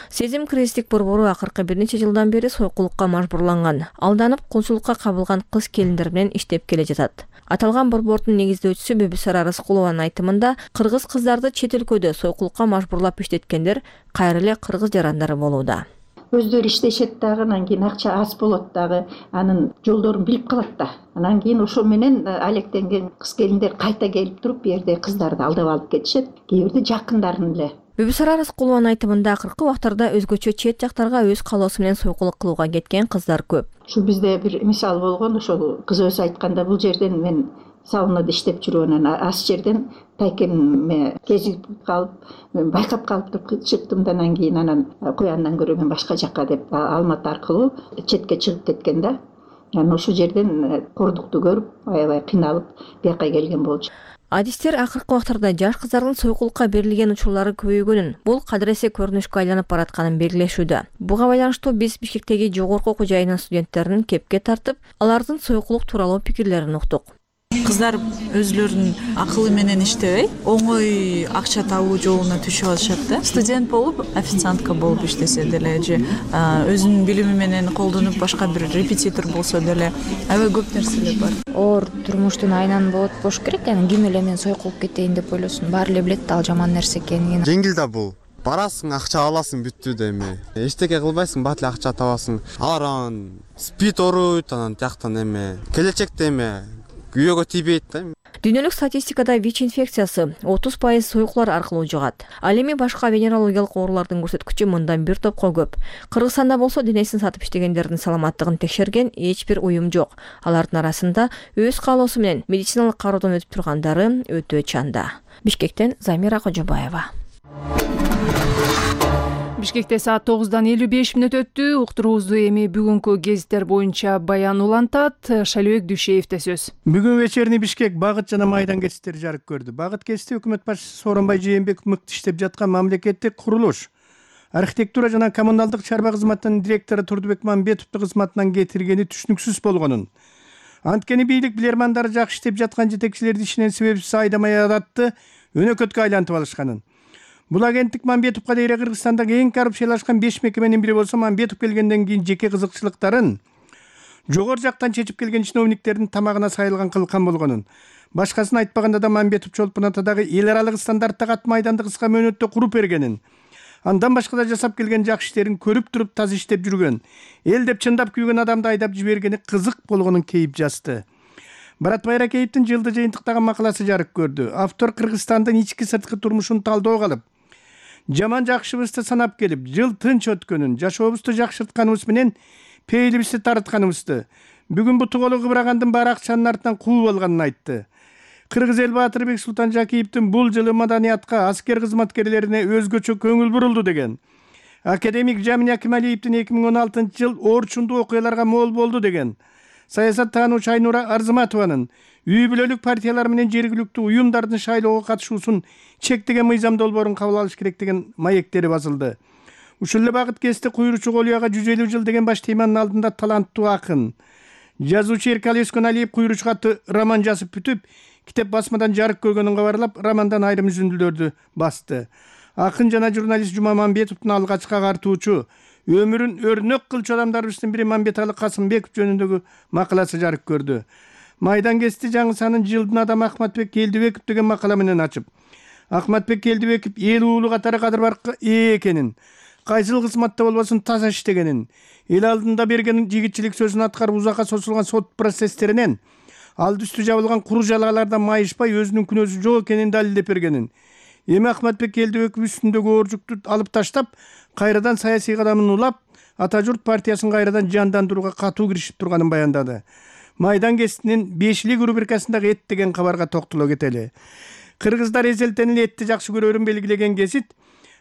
Сезим кризистик борбору акыркы бир нече жылдан бери союкулукка мажбурланган, алданып кулчулукка кабылган кыз келиндер менен иштеп келе жатат. Аталган борбордун негиздөөчүсү Бөбүсара Рыскулованын айтымында, кыргыз кыздарды чет өлкөдө союкулукка мажбурлап иштеткендер кайра эле кыргыз жарандары болууда. Өздөрү иштешет дагы, анан кийин акча аз болот дагы, анын жолдорун билип калат да. Анан кийин ошо менен алектенген кыз келиндер кайта келип туруп, бу жерде кыздарды алдап алып кетишет, кээ бирде жакындарын эле. Бөбүсара Рыскулованын айтымында акыркы убактарда өзгөчө чет жактарга өз каалоосу менен союкулук кылууга кеткен кыздар көп. Ушу бизде бир мисал болгон, ошол кыз өзү айтканда, бул жерден мен саунаада иштеп жүргөн, аз жерден тайкемме кезип калып, мен байкап калып туруп чыктым да, анан кийин анан куяндан көрө мен башка жакка деп Алматы аркылуу четке чыгып кеткен да. Анан ошол жерден кордукту көрүп, аябай кыйналып, бияка келген болчу. Адистер акыркы убактарда жаш кыздардын союкулукка берилген учурлары көбөйгөнүн, бул кадыресе көрүнүшкө айланып баратканын белгилешүүдө. Буга байланыштуу биз Бишкектеги жогорку окуу жайынын студенттерин кепке тартып, алардын союкулук тууралуу пикирлерин уктук. Кыздар өзлөрүнүн акылы менен иштебей, оңой акча табуу жолуна түшүп алышат да. Студент болуп, официантка болуп иштесе деле, же өзүнүн билими менен колдонуп башка бир репетитор болсо деле, аябай көп нерселер бар. Оор турмуштун айынан болот болуш керек, яны ким эле мен союкулуп кетейин деп ойлосун, баары эле билет да ал жаман нерсе экенин. Жеңил да бул. барасың, акча аласың, бүттү да эми. Эчтеке кылбайсың, бат эле акча табасың. Алар анан спид оруйт, анан жактан эми келечекте эми күйөөгө тийбейт да. Дүйнөлүк статистикада ВИЧ инфекциясы отуз пайыз союклар аркылуу жугат. Ал эми башка венерологиялык оорулардын көрсөткүчү мындан бир топко көп. Кыргызстанда болсо денесин сатып иштегендердин саламаттыгын текшерген эч бир уюм жок. Алардын арасында өз каалоосу менен медициналык кароодон өтүп тургандары өтө чанда. Бишкектен Замира Кожобаева. Бишкекте саат тогуздан элүү беш мүнөт өттү. Уктуруубузду эми бүгүнкү гезиттер боюнча Баян улантат. Шалыбек Дүйшеевде сөз. Бүгүн вечерний Бишкек багыт жана майдан кесиптери жарык көрдү. Багыт кесипти өкмөт башчысы Сооронбай Жээнбеков мыкты иштеп жаткан мамлекеттик курулуш. Архитектура жана коммуналдык чарба кызматынын директору Турдубек Мамбетовду кызматынан кетиргени түшүнүксүз болгонун. Анткени бийлик билермандары жакшы иштеп жаткан жетекчилерди ишинен себепсиз айдамай адатты өнөкөткө айлантып алышканын. Бул агенттик Мамбетовго дейре Кыргызстандагы эң коррупциялашкан беш мекеменин бири болсо, Мамбетов келгенден кийин жеке кызыкчылыктарын жогору жактан чечип келген чиновниктердин тамагына сайылган кылкан болгонун. Башкасын айтпаганда да Мамбетов Чолпон Атадагы эл аралык стандарттагы ат майданды кыска мөөнөттө куруп бергенин, андан башка да жасап келген жакшы иштерин көрүп туруп таза иштеп жүргөн, эл деп чындап күйгөн адамды айдап жибергени кызык болгонун кейип жазды. Барат Байракеевдин жылды жыйынтыктаган макаласы жарык көрдү. Автор Кыргызстандын ички сырткы турмушун талдоо кылып, жаман жакшыбызды санап келип, жыл тынч өткөнүн, жашообузду жакшыртканыбыз менен пейлибизди тартканыбызды, бүгүн буту колу кыбырагандын баары акчанын артынан куу болгонун айтты. Кыргыз эл баатыры Бексултан Жакиевдин бул жылы маданиятка, аскер кызматкерлерине өзгөчө көңүл бурулду деген. Академик Жамин Акималиевдин эки миң он алтынчы жыл орчундуу окуяларга мол болду деген. Саясаттануучу Айнура Арзыматованын үй бүлөлүк партиялар менен жергиликтүү уюмдардын шайлоого катышуусун чектеген мыйзам долбоорун кабыл алыш керек деген маектери басылды. Ушул эле багыт кести куйручу Колуяга жүз элүү жыл деген баш теманын алдында таланттуу акын, жазуучу Эркали Өскөналиев куйручу катты роман жазып бүтүп, китеп басмадан жарык көргөнүн кабарлап, романдан айрым үзүндүлөрдү басты. Акын жана журналист Жума Мамбетовдун алгачкы агартуучу, өмүрүн өрнөк кылчу адамдарыбыздын бири Мамбетали Касымбеков жөнүндөгү макаласы жарык көрдү. Майдан кести жаңы санын жылдын адамы Ахматбек Келдибеков деген макала менен ачып, Ахматбек Келдибеков эл уулу катары кадыр баркка ээ экенин, кайсыл кызматта болбосун таза иштегенин, эл алдында берген жигитчилик сөзүн аткарып узакка созулган сот процесстеринен алды үстү жабылган куру жалгалардан майышпай өзүнүн күнөөсү жок экенин далилдеп бергенин. Эми Ахматбек Келдибеков үстүндөгү ооржукту алып таштап, кайрадан саясий кадамын улап, Ата журт партиясын кайрадан жандандырууга катуу киришип турганын баяндады. Майдан кестинин бешилик рубрикасындагы эт деген кабарга токтоло кетели. Кыргыздар эзелтен эле этти жакшы көрөрүн белгилеген гезит,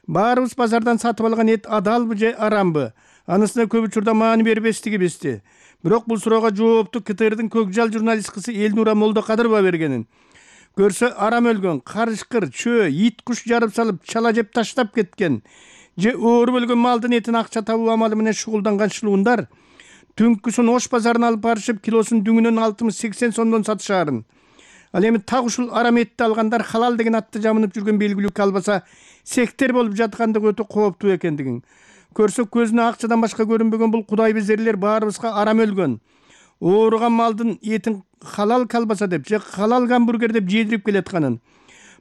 баарыбыз базардан сатып алган эт адалбы же арамбы? Анысына көп учурда маани бербестиги бизди. Бирок бул суроого жоопту КТРдын көкжал журналисткасы Элнура Молдокадырова бергенин. Көрсө арам өлгөн, карышкыр, чөө, ит куш жарып салып, чала жеп таштап кеткен, же ооруп өлгөн малдын этин акча табуу амалы менен шугулданган шылуундар түнкүсүн Ош базарына алып барышып, килосун дүңүнөн алтымыш сексен сомдон сатышаарын. Ал эми так ушул арам этти алгандар халал деген атты жамынып жүргөн белгилүүккө албаса, сектер болуп жаткандыгы өтө кооптуу экендигин. Көрсөк көзүнө акчадан башка көрүнбөгөн бул кудай безерлер баарыбызга арам өлгөн, ооруган малдын этин халал калбаса деп же халал гамбургер деп жедирип келатканын.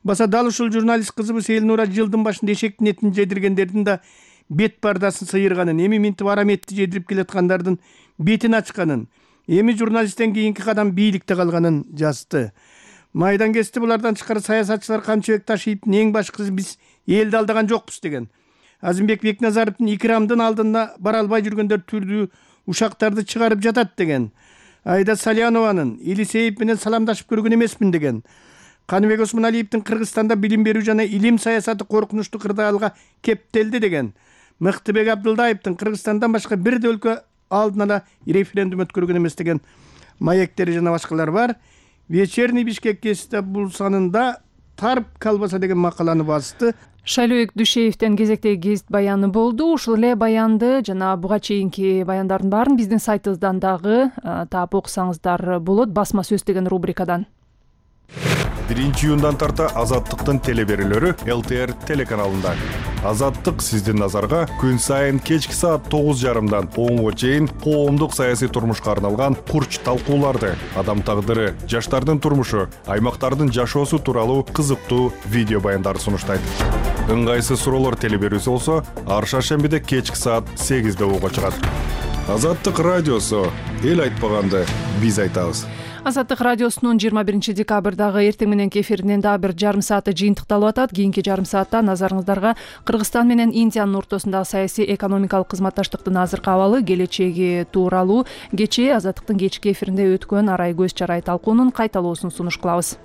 Баса дал ушул журналист кызыбыз Элнура жылдын башында эшектин этин жедиргендердин да бет бардасын сыйырганын, эми минтип арам этти жедирип келаткандардын бетин ачканын, эми журналисттен кийинки кадам бийликте калганын жазды. Майдан кести булардан тышкары саясатчылар камчыбек Ташиевдин эң башкысы биз элди алдаган жокпуз деген. Азимбек Бекназаровдун икрамдын алдына бара албай жүргөндөр түрдүү ушактарды чыгарып жатат деген. Айда Салянованын Илисеев менен саламдашып көргөн эмесмин деген. Каныбек Осмоналиевдин Кыргызстанда билим берүү жана илим саясаты коркунучтуу кырдаалга кептелди деген. Мыктыбек Абдылдаевдин Кыргызстандан башка бир да өлкө алдын ала референдум өткөргөн эмес деген маектери жана башкалар бар. Вечерний Бишкек кесте бул санында тарп калбаса деген макаланы басты. Шайлообек Дүйшеевден кезектеги гезит баяны болду. Ушул эле баянды жана буга чейинки баяндардын баарын биздин сайтыбыздан дагы таап окусаңыздар болот. Басма сөз деген рубрикадан. биринчи июндан тарта Азаттыктын телеберүүлөрү Эл Т Р телеканалында. Азаттык сиздин назарга күн сайын кечки саат тогуз жарымдан онго чейин коомдук саясий турмушка арналган курч талкууларды, адам тагдыры, жаштардын турмушу, аймактардын жашоосу тууралуу кызыктуу видео баяндарды сунуштайт. ыңгайсыз суроолор теле берүүсү болсо ар шаршембиде кечки саат сегизде угууга чыгат. Азаттык радиосу, эл айтпаганды биз айтабыз. Азаттык радиосунун жыйырма биринчи декабрдагы эртең мененки эфиринин дагы бир жарым сааты жыйынтыкталып атат. Кийинки жарым саатта назарыңыздарга Кыргызстан менен Индиянын ортосундагы саясий экономикалык кызматташтыктын азыркы абалы, келечеги тууралуу кечээ Азаттыктын кечки эфиринде өткөн арай көз чарай талкуунун кайталоосун сунуш кылабыз.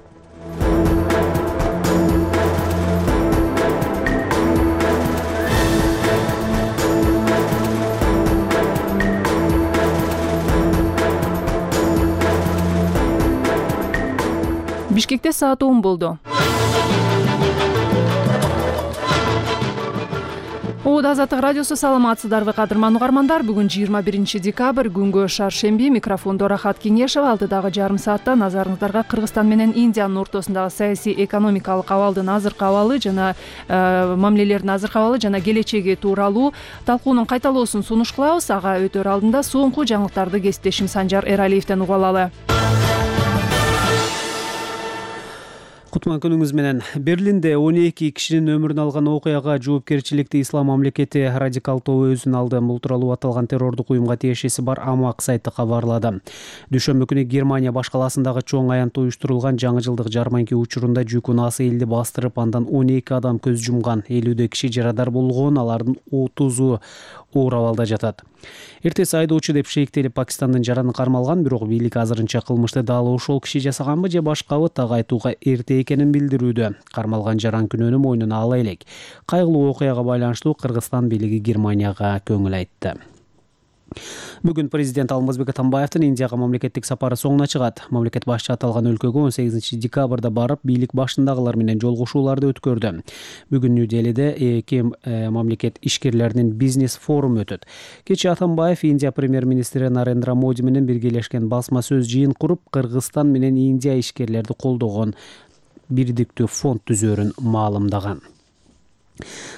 Бишкекте саат он болду. Ода Азаттык радиосу, саламатсыздарбы кадырман угармандар. Бүгүн жыйырма биринчи декабрь, күнгө шаршемби. Микрофондо Рахат Кеңешева. Алдыдагы жарым саатта назарыңыздарга Кыргызстан менен Индиянын ортосундагы саясий экономикалык абалдын азыркы абалы жана э, мамилелердин азыркы абалы жана келечеги тууралуу талкуунун кайталоосун сунуш кылабыз. Ага өтөр алдында соңку жаңылыктарды кесиптешим Санжар Эралиевден угуп алалы. Кутман күнүңүз менен. Берлинде он эки кишинин өмүрүн алган окуяга жоопкерчиликти Ислам мамлекети радикалдоо өзүн алды. Бул тууралуу аталган террордук уюмга тиешеси бар Амак сайты кабарлады. Дүйшөмбү күнү Германия баш каласындагы чоң аянтта уюштурулган жаңы жылдык жарманки учурунда жүк унаасы элди бастырып, андан он эки адам көз жумган, элүүдөй киши жарадар болгон, алардын отузу оор абалда жатат. Эртеси айдоочу деп шейиктелип Пакистандын жараны кармалган, бирок бийлик азырынча кылмышты дал ошол киши жасаганбы же башкабы так айтууга эрте экенин билдирүүдө. Кармалган жаран күнөөнү мойнуна ала элек. Кайгылуу окуяга байланыштуу Кыргызстан бийлиги Германияга көңүл айтты. Бүгүн президент Алмазбек Атамбаевдин Индияга мамлекеттик сапары соңуна чыгат. Мамлекет башчы аталган өлкөгө он сегизинчи декабрда барып, бийлик башындагылар менен жолугушууларды өткөрдү. Бүгүн Нью-Делиде эки мамлекет ишкерлеринин бизнес форуму өтөт. Кечээ Атамбаев Индия премьер-министри Нарендра Моди менен биргелешкен басма сөз жыйын куруп, Кыргызстан менен Индия ишкерлерди колдогон бирдиктүү фонд түзөөрүн маалымдаган.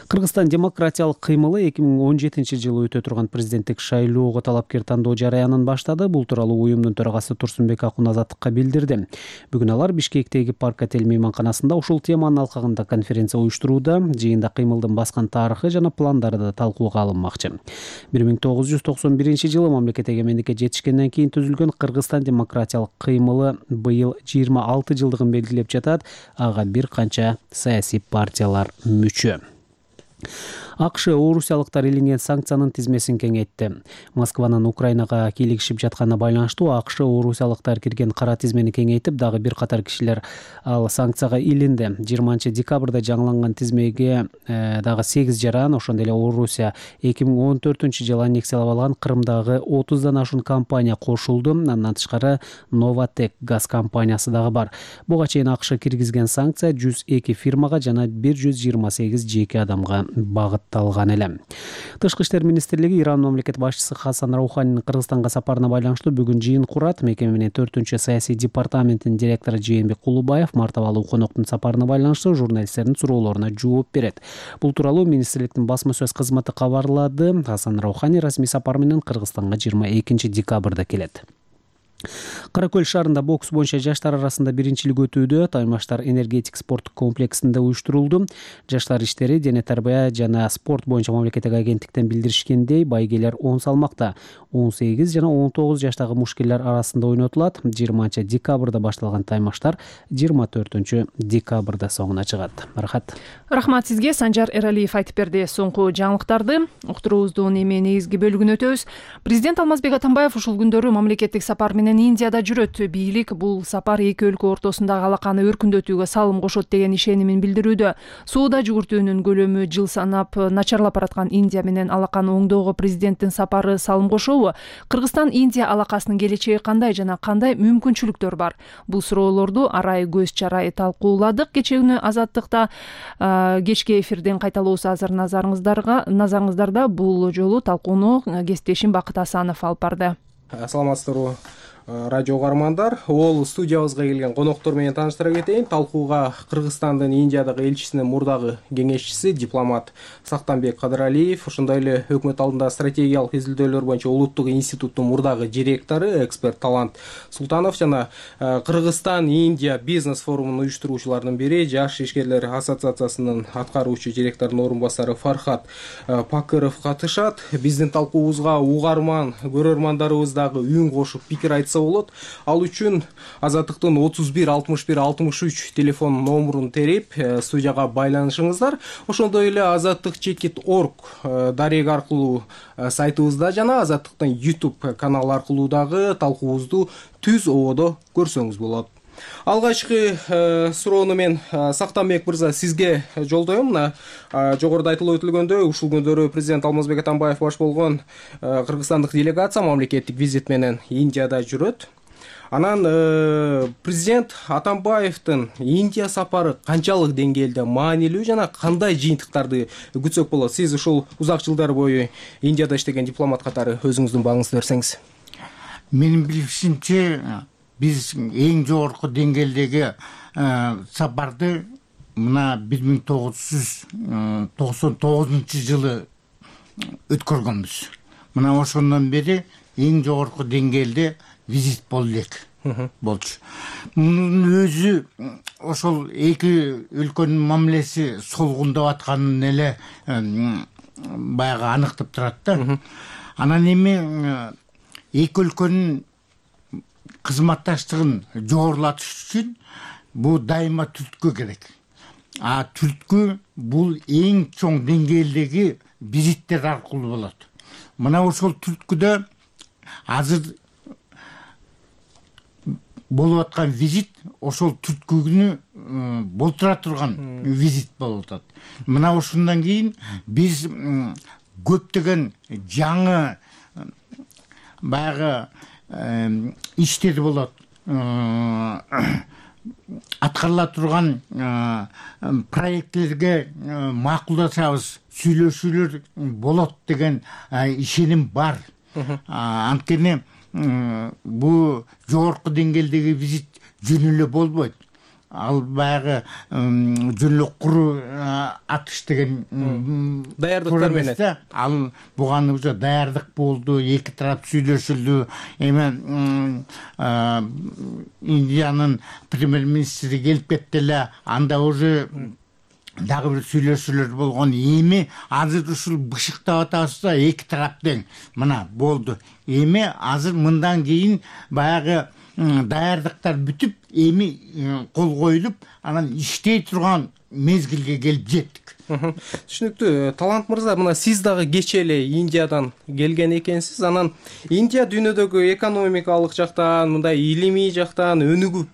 Кыргызстан демократиялык кыймылы эки миң он жетинчи жылы өтө турган президенттик шайлоого талапкер тандоо жарыянын баштады. Бул тууралуу уюмдун төрагасы Турсунбек Акун Азаттыкка билдирди. Бүгүн алар Бишкектеги Парк отель мейманканасында ушул теманын алкагында конференция уюштурууда. Жыйында кыймылдын баскан тарыхы жана пландары да талкууга алынмакчы. бир миң тогуз жүз токсон биринчи жылы мамлекет эгемендикке жетишкенден кийин түзүлгөн Кыргызстан демократиялык кыймылы быйыл жыйырма алты жылдыгын белгилеп жатат. Ага бир канча саясий партиялар мүчө. АКШ орусиялыктар илинген санкциянын тизмесин кеңейтти. Москванын Украинага кийлигишип жатканына байланыштуу АКШ орусиялыктар кирген кара тизмени кеңейтип, дагы бир катар кишилер ал санкцияга илинди. жыйырманчы декабрда жаңыланган тизмеге э, дагы сегиз жаран, ошондой эле Орусия эки миң он төртүнчү жылы аннексиялап алган Крымдагы отуздан ашуун компания кошулду. Андан тышкары Новатек газ компаниясы дагы бар. Буга чейин АКШ киргизген санкция жүз эки фирмага жана бир жүз жыйырма сегиз жеке адамга багыт талган эле. Тышкы иштер министрлиги Иран мамлекет башчысы Хасан Рауханинин Кыргызстанга сапарына байланыштуу бүгүн жыйын курат. Мекеме менен төртүнчү саясий департаментинин директору Жээнбек Кулубаев мартабалуу коноктун сапарына байланыштуу журналисттердин суроолоруна жооп берет. Бул тууралуу министрликтин басма сөз кызматы кабарлады. Хасан Раухани расмий сапар менен Кыргызстанга жыйырма экинчи декабрда келет. Кара Көл шаарында бокс боюнча жаштар арасында биринчилик өтүүдө. Таймаштар энергетик спорттук комплексинде уюштурулду. Жаштар иштери дене тарбия жана спорт боюнча мамлекеттик агенттиктен билдиришкендей, байгелер он салмакта он сегиз жана он тогуз жаштагы мушкелер арасында ойнотулат. жыйырманчы декабрда башталган таймаштар жыйырма төртүнчү декабрда соңуна чыгат. Рахат. Рахмат сизге. Санжар Эралиев айтып берди соңку жаңылыктарды. Уктуруубуздун эми негизги бөлүгүнө өтөбүз. Президент Алмазбек Атамбаев ушул күндөрү мамлекеттик сапар менен Индияда жүрөт. Бийлик бул сапар эки өлкө ортосундагы алаканы өркүндөтүүгө салым кошот деген ишенимин билдирүүдө. Соода жүгүртүүнүн көлөмү жыл санап начарлап бараткан Индия менен алаканы оңдоого президенттин сапары салым кошобу? Кыргызстан Индия алакасынын келечеги кандай жана кандай мүмкүнчүлүктөр бар? Бул суроолорду арай көз чарай талкууладык. Кечээ күнү Азаттыкта кечки эфирден кайталоосу азыр назарыңыздарга назарыңыздарда. Бул жолу талкууну кесиптешим Бакыт Асанов алып барды. Саламатсыздарбы радио угармандар, ол студиябызга келген коноктор менен тааныштыра кетейин. Талкууга Кыргызстандын Индиядагы элчисинин мурдагы кеңешчиси, дипломат Сактанбек Кадыралиев, ошондой эле өкмөт алдында стратегиялык изилдөөлөр боюнча улуттук институттун мурдагы директору, эксперт Талант Султанов жана Кыргызстан Индия бизнес форумунун уюштуруучуларынын бири, Жаш ишкерлер ассоциациясынын аткаруучу директорунун орун басары Фархат Пакыров катышат. Биздин талкуубузга угарман көрөрмандарыбыз дагы үн кошуп пикир айтса болот. Ал үчүн Азаттыктын отуз бир алтымыш бир алтымыш үч телефон номурун терип студияга байланышыңыздар. Ошондой эле азаттык чекит точка орг дарек аркылуу сайтыбызда жана Азаттыктын YouTube каналы аркылуу дагы талкуубузду түз ободо көрсөңүз болот. Алгачкы суроону мен Сактанбек мырза сизге жолдоем. Мына жогоруда айтылып өтүлгөндөй, ушул күндөрү президент Алмазбек Атамбаев баш болгон кыргызстандык делегация мамлекеттик визит менен Индияда жүрөт. Анан президент Атамбаевдин Индия сапары канчалык деңгээлде маанилүү жана кандай жыйынтыктарды күтсөк болот? Сиз ушул узак жылдар бою Индияда иштеген дипломат катары өзүңүздүн багыңызды берсеңиз. Менин билишимче, биз эң жогорку деңгээлдеги сапарды мына бир миң тогуз жүз токсон тогузунчу жылы өткөргөнбүз. Мына ошондон бери эң жогорку деңгээлде визит болду элек болчу. Мунун өзү ошол эки өлкөнүн мамилеси солгундап атканын эле баягы аныктап турат да. Анан эми эки өлкөнүн кызматташтыгын жогорулатыш үчүн бул дайыма түрткү керек. А түрткү бул эң чоң деңгээлдеги визиттер аркылуу болот. Мына ошол түрткүдө азыр болуп аткан визит ошол түрткүнү болтура турган визит болуп атат. Мына ошондон кийин биз көптөгөн жаңы баягы иштер болот, аткарыла турган проекттерге макулдашабыз, сүйлөшүүлөр болот деген ишеним бар. Анткени бул жогорку деңгээлдеги визит жөн эле болбойт. Ал баягы жөн эле куру атыш деген даярдыктар менен. Ал буга уже даярдык болду, эки тарап сүйлөшүлдү. Эми Индиянын премьер-министри келип кетти эле, анда уже дагы бир сүйлөшүүлөр болгон. Эми азыр ушул бышыктап атабыз да, эки тарап тең. Мына болду. Эми азыр мындан кийин баягы даярдыктар бүтүп, эми кол коюлуп, анан иштей турган мезгилге келип жеттик. Түшүнүктүү. Талант мырза, мына сиз дагы кече эле Индиядан келген экенсиз. Анан Индия дүйнөдөгү экономикалык жактан, мындай илимий жактан өнүгүп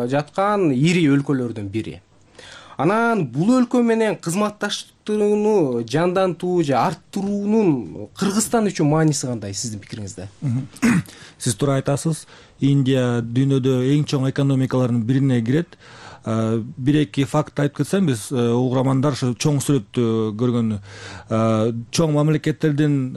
жаткан ири өлкөлөрдүн бири. Анан бул өлкө менен кызматташтыгууну жандантуу же арттыруунун Кыргызстан үчүн мааниси кандай сиздин пикириңизде? Сиз туура айтасыз. Индия дүйнөдө эң чоң экономикалардын бирине кирет. Бир эки факт айтып кетсем, биз угармандар ушу чоң сүрөттү көргөн чоң мамлекеттердин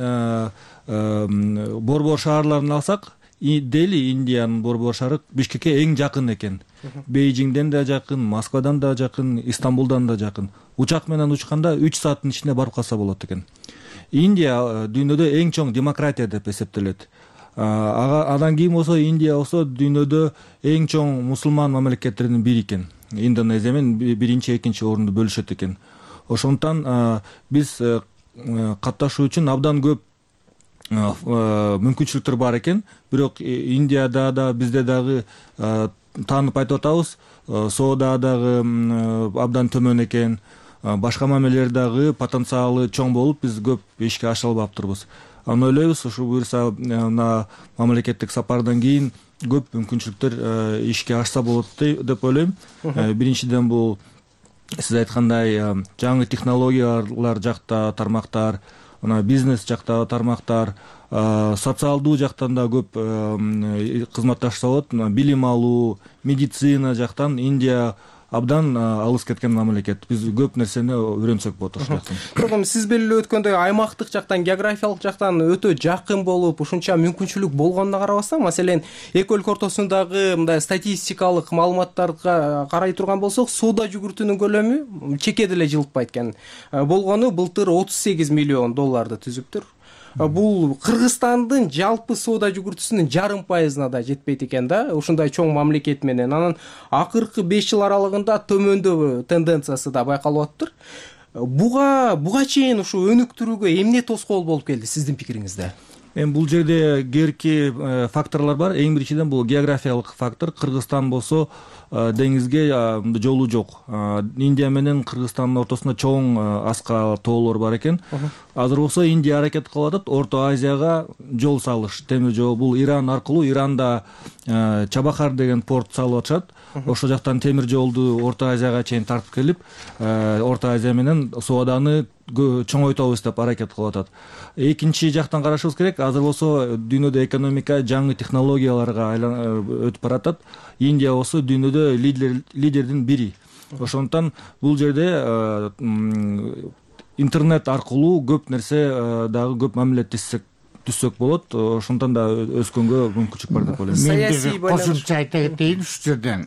борбор шаарларын алсак, Дели Индиянын борбор шаары Бишкекке эң жакын экен. Бейжиңден да жакын, Москвадан да жакын, Истамбулдан да жакын. Учак менен учканда үч сааттын ичинде барып калса болот экен. Индия дүйнөдө эң чоң демократия деп эсептелет. Андан кийин болсо Индия болсо дүйнөдө эң чоң мусулман мамлекеттердин бири экен. Индонезия менен биринчи, экинчи орунду бөлүшөт экен. Ошондуктан биз катташуу үчүн абдан көп мүмкүнчүлүктөр бар экен. Бирок Индияда да бизде дагы таанып айтып атабыз, соода дагы абдан төмөн экен. Башка мамилелер дагы потенциалы чоң болуп, биз көп ишке аша албаптырбыз. Аны ойлойбуз, ушу буюрса мына мамлекеттик сапардан кийин көп мүмкүнчүлүктөр ишке ашса болот деп ойлойм. Биринчиден бул сиз айткандай жаңы технологиялар жакта тармактар, мына бизнес жакта тармактар, социалдуу жактан да көп кызматташса болот. Билим алуу, медицина жактан Индия абдан алыс кеткен мамлекет. Биз көп нерсени үйрөнсөк болот ошол жактан. Бирок эми сиз белгилеп өткөндөй аймактык жактан, географиялык жактан өтө жакын болуп, ушунча мүмкүнчүлүк болгонуна карабастан, маселен, эки өлкө ортосундагы мындай статистикалык маалыматтарга карай турган болсок, соода жүгүртүүнүн көлөмү чеке деле жылытпайт экен. Болгону былтыр отуз сегиз миллион долларды түзүптүр. Бул Кыргызстандын жалпы соода жүгүртүүсүнүн жарым пайызына да жетпейт экен да, ушундай чоң мамлекет менен. Анан акыркы беш жыл аралыгында төмөндөө тенденциясы да байкалып атыптыр. Буга буга чейин ушу өнүктүрүүгө эмне тоскоол болуп келди сиздин пикириңизде? Эми бул жерде кээки факторлор бар. Эң биринчиден бул географиялык фактор. Кыргызстан болсо деңизге жолу жок. Индия менен Кыргызстандын ортосунда чоң аска тоолор бар экен. Азыр болсо Индия аракет кылып атат Орто Азияга жол салыш, темир жол. Бул Иран аркылуу, Иранда Чабахар деген порт салып атышат. Ошол жактан темир жолду Орто Азияга чейин тартып келип, Орто Азия менен сооданы чоңойтобуз деп аракет кылып атат. Экинчи жактан карашыбыз керек. Азыр болсо дүйнөдө экономика жаңы технологияларга өтүп баратат. Индия болсо дүйнөдө лидер лидердин бири. Ошондуктан бул жерде интернет аркылуу көп нерсе дагы көп мамилеттессек түзсөк болот. Ошондон да өскөнгө мүмкүнчүлүк бар деп ойлойм. Мен бир кошумча айта кетейин ушул жерден.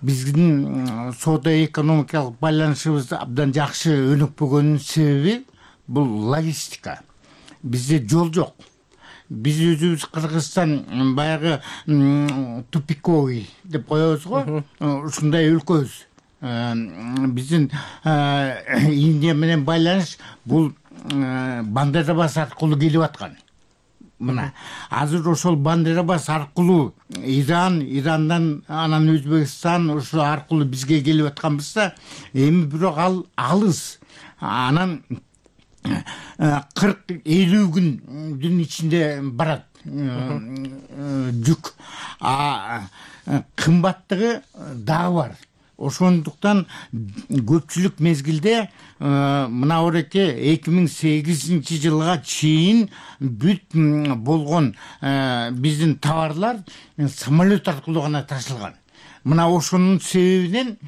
Биздин соода экономикалык байланышыбыз абдан жакшы өнүкпөгөнүнүн себеби бул логистика. Бизде жол жок. Биз өзүбүз Кыргызстан баягы тупиковый деп коебуз го. Ушундай өлкөбүз. Биздин Индия менен байланыш бул Бандерабас аркылуу келип аткан. Мына азыр ошол Бандерабас аркылуу Иран, Ирандан анан Өзбекстан ошол аркылуу бизге келип атканбызда, эми бирок ал алыс. Анан кырк элүү күндүн ичинде барат жүк. А кымбаттыгы дагы бар. Ошондуктан көпчүлүк мезгилде мына ореке эки миң сегизинчи жылга чейин бүт болгон биздин товарлар самолет аркылуу гана ташылган. Мына ошонун себебинен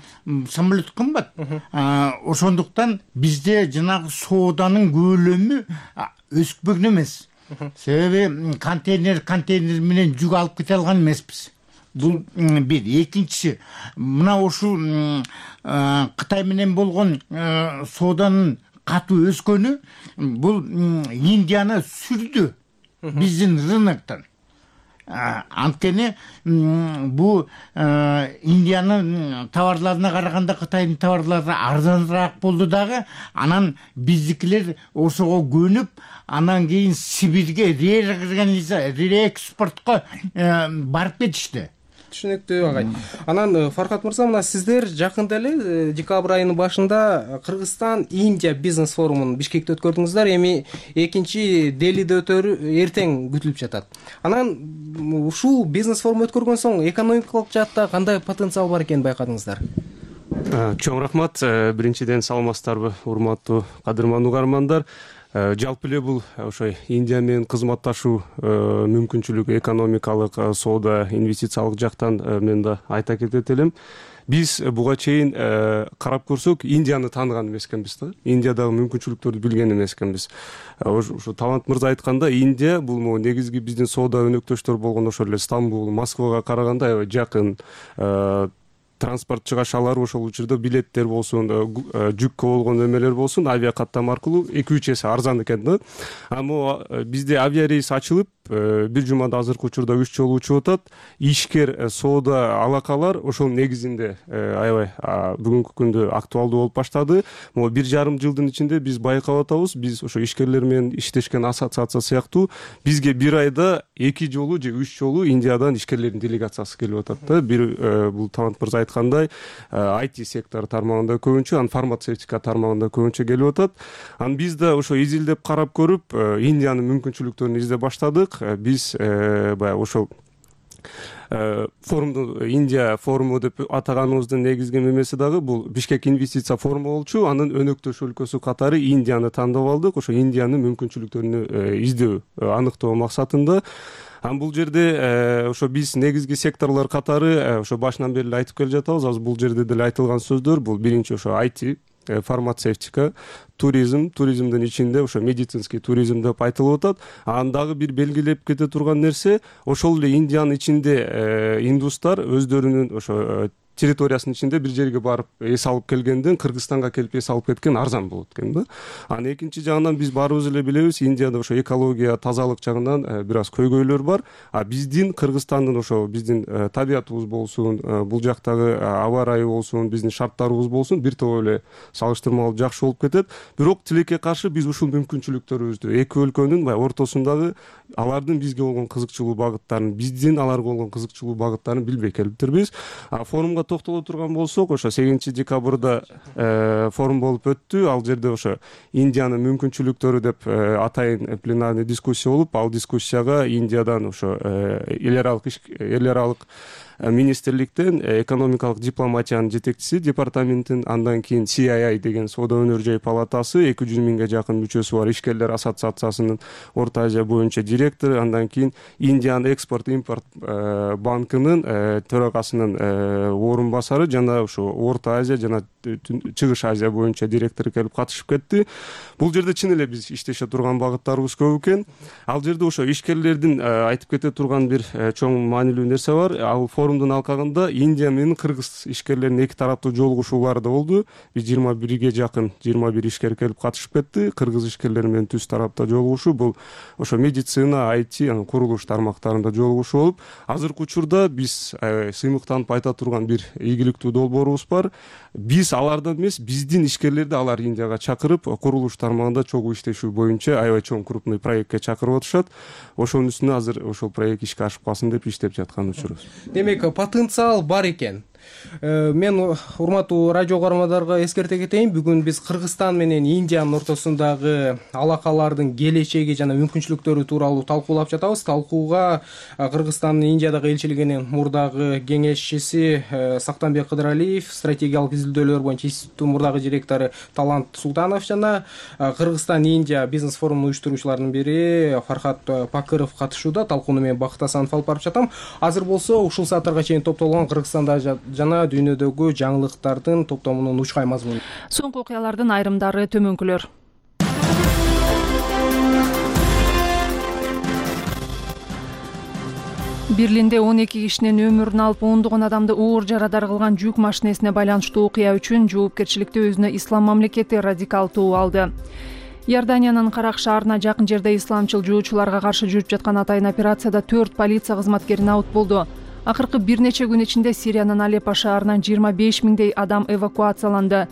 самолет кымбат. Ошондуктан бизде жанагы сооданын көлөмү өспөгөн эмес. Себеби контейнер контейнер менен жүк алып кете алган эмеспиз. Бул бир. Экинчиси, мына ушул Кытай менен болгон сооданын катуу өскөнү бул Индияны сүрдү биздин рыноктон. Анткени бу Индиянын товарларына караганда Кытайдын товарлары арзаныраак болду дагы. Анан биздикилер ошого көнүп, анан кийин Сибирге реэкспортко барып кетишти. Түшүнүктүү агай. Анан Фаркат мырза, мына сиздер жакында эле декабрь айынын башында Кыргызстан Индия бизнес форумун Бишкекте өткөрдүңүздөр. Эми экинчи Делиде өтөрү эртең күтүлүп жатат. Анан ушул бизнес форум өткөргөн соң экономикалык жаатта кандай потенциал бар экенин байкадыңыздар? Чоң рахмат. Биринчиден саламатсыздарбы, урматтуу кадырман угармандар. Жалпы эле бул ошой Индия менен кызматташуу мүмкүнчүлүгү экономикалык, соода, инвестициялык жактан мен да айта кетет элем. Биз буга чейин карап көрсөк, Индияны тааныган эмес экенбиз да. Индиядагы мүмкүнчүлүктөрдү билген эмес экенбиз. Ошо Талант мырза айтканда, Индия бул могу негизги биздин соода өнөктөштөр болгон ошол эле Стамбул, Москвага караганда аябай жакын. Транспорт чыгашалары ошол учурда билеттер болсун, жүккө болгон эмелер болсун, авиа каттам аркылуу эки үч эсе арзан экен да. Ама бизде авиа рейс ачылып, бир жумада азыркы учурда үч жолу учуп атат. Ишкер соода алакалар ошол негизинде аябай бүгүнкү күндө актуалдуу болуп баштады. Могу бир жарым жылдын ичинде биз байкап атабыз, биз ошо ишкерлер менен иштешкен ассоциация сыяктуу бизге бир айда эки жолу же үч жолу Индиядан ишкерлердин делегациясы келип атат да. Бир бул Талант мырза айткандай ай ти сектор тармагында көбүнчө, анан фармацевтика тармагында көбүнчө келип атат. Анан биз да ошо изилдеп карап көрүп, Индиянын мүмкүнчүлүктөрүн издеп баштадык. Биз баягы ошол форумду Индия форуму деп атаганыбыздын негизги мемеси дагы бул Бишкек инвестиция форуму болчу. Анын өнөктөш өлкөсү катары Индияны тандап алдык. Ошо Индиянын мүмкүнчүлүктөрүн издөө, аныктоо максатында. анан бул жерде ошо биз негизги секторлор катары ошо башынан бери эле айтып келе жатабыз. Азыр бул жерде деле айтылган сөздөр бул биринчи ошо ай ти, фармацевтика, туризм, туризмдин ичинде ошо медицинский туризм деп айтылып атат. Анан дагы бир белгилеп кете турган нерсе, ошол эле Индиянын ичинде индустар өздөрүнүн ошо территориясынын ичинде бир жерге барып эс алып келгенден Кыргызстанга келип эс алып кеткен арзан болот экен да. Анан экинчи жагынан биз баарыбыз эле билебиз, Индияда ошо экология, тазалык жагынан бир аз көйгөйлөр бар. А биздин Кыргызстандын ошо биздин табиятыбыз болсун, бул жактагы аба ырайы болсун, биздин шарттарыбыз болсун, бир топ эле салыштырмалуу жакшы болуп кетет. Бирок тилекке каршы биз ушул мүмкүнчүлүктөрүбүздү эки өлкөнүн баягы ортосундагы алардын бизге болгон кызыкчылуу багыттарын, биздин аларга болгон кызыкчылуу багыттарын билбей келиптирбиз. А форумга токтоло турган болсок, ошо сегизинчи декабрда форум болуп өттү. Ал жерде ошо Индиянын мүмкүнчүлүктөрү деп атайын пленарный дискуссия болуп, ал дискуссияга Индиядан ошо эл аралык эл аралык министрликтен экономикалык дипломатиянын жетекчиси департаменттин, андан кийин си ай ай деген соода өнөр жай палатасы эки жүз миңге жакын мүчөсү бар ишкерлер ассоциациясынын Орто Азия боюнча директору, андан кийин Индиан экспорт импорт банкынын төрагасынын орун басары жана ошо Орто Азия жана Чыгыш Азия боюнча директору келип катышып кетти. Бул жерде чын эле биз иштеше турган багыттарыбыз көп экен. Ал жерде ошо ишкерлердин айтып кете турган бир чоң маанилүү нерсе бар. Ал форумдун алкагында Индия менен Кыргыз ишкерлеринин эки тараптуу жолугушуулары да болду. Биз жыйырма бирге жакын жыйырма бир ишкер келип катышып кетти. Кыргыз ишкерлери менен түз тарапта жолугушуу, бул ошо медицина, ай ти, анан курулуш тармактарында жолугушуу болуп, азыркы учурда биз сыймыктанып айта турган бир ийгиликтүү долбоорубуз бар. Биз алардан эмес, биздин ишкерлерди алар Индияга чакырып, курулуш тармагында чогуу иштешүү боюнча аябай чоң крупный проектке чакырып атышат. Ошонун үстүнө азыр ошол проект ишке ашып калсын деп иштеп жаткан учурубуз. Демек, потенциал бар экен. Мен урматтуу радио угармандарга эскерте кетейин, бүгүн биз Кыргызстан менен Индиянын ортосундагы алакалардын келечеги жана мүмкүнчүлүктөрү тууралуу талкуулап жатабыз. Талкууга Кыргызстандын Индиядагы элчилигинин мурдагы кеңешчиси Сактанбек Кыдыралиев, стратегиялык изилдөөлөр боюнча институттун мурдагы директору Талант Султанов жана Кыргызстан-Индия бизнес форумунун уюштуруучуларынын бири Фархат Пакыров катышууда. Талкууну мен Бакыт Асанов алып барып жатам. Азыр болсо ушул саатарга чейин топтолгон Кыргызстанда жана дүйнөдөгү жаңылыктардын топтомунун учкай мазмуну. Соңку окуялардын айрымдары төмөнкүлөр. Берлинде он эки кишинин өмүрүн алып, ондогон адамды оор жарадар кылган жүк машинесине байланыштуу окуя үчүн жоопкерчиликти өзүнө Ислам мамлекети радикалдуу алды. Иорданиянын Карак шаарына жакын жерде исламчыл жуучуларга каршы жүрүп жаткан атайын операцияда төрт полиция кызматкери набыт болду. Акыркы бир нече күн ичинде Сириянын Алеппо шаарынан жыйырма беш миңдей адам эвакуацияланды.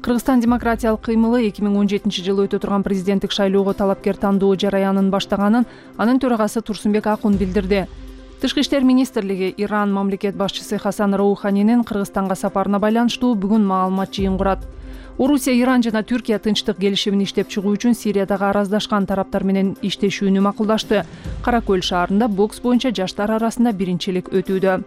Кыргызстан демократиялык кыймылы эки миң он жетинчи жылы өтө турган президенттик шайлоого талапкер тандоо жараянын баштаганын анын төрагасы Турсунбек Акун билдирди. Тышкы иштер министрлиги Иран мамлекет башчысы Хасан Роуханинин Кыргызстанга сапарына байланыштуу бүгүн маалымат жыйын курат. Орусия, Иран жана Түркия тынчтык келишимин иштеп чыгуу үчүн Сириядагы араздашкан тараптар менен иштешүүнү макулдашты. Кара көл шаарында бокс боюнча жаштар арасында биринчилик өтүүдө.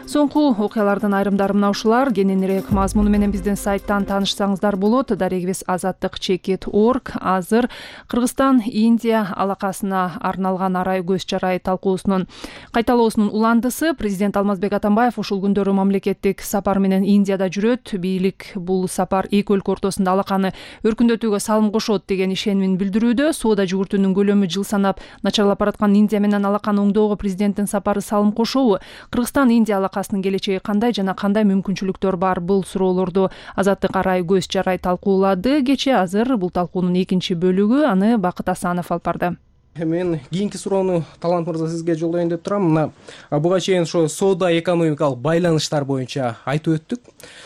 Соңку окуялардын айрымдары мына ушулар. Кененирээк мазмуну менен биздин сайттан таанышсаңыздар болот. Дарегибиз азаттык чекит точка орг. Азыр Кыргызстан Индия алакасына арналган арай көз чарай талкуусунун кайталоосунун уландысы. Президент Алмазбек Атамбаев ушул күндөрү мамлекеттик сапар менен Индияда жүрөт. Бийлик бул сапар эки өлкө ортосунда алаканы өркүндөтүүгө салым кошот деген ишенимин билдирүүдө. Соода жүгүртүүнүн көлөмү жыл санап начарлап бараткан Индия менен алаканы оңдоого президенттин сапары салым кошобу? Кыргызстан Индия алакасынын келечеги кандай жана кандай мүмкүнчүлүктөр бар? Бул суроолорду азаттык арай көз чарай талкуулады кечээ. Азыр бул талкуунун экинчи бөлүгү, аны Бакыт Асанов алып барды. Мен кийинки суроону Талант мырза сизге жолдоюн деп турам. Мына буга чейин ошо соода экономикалык байланыштар боюнча айтып өттүк.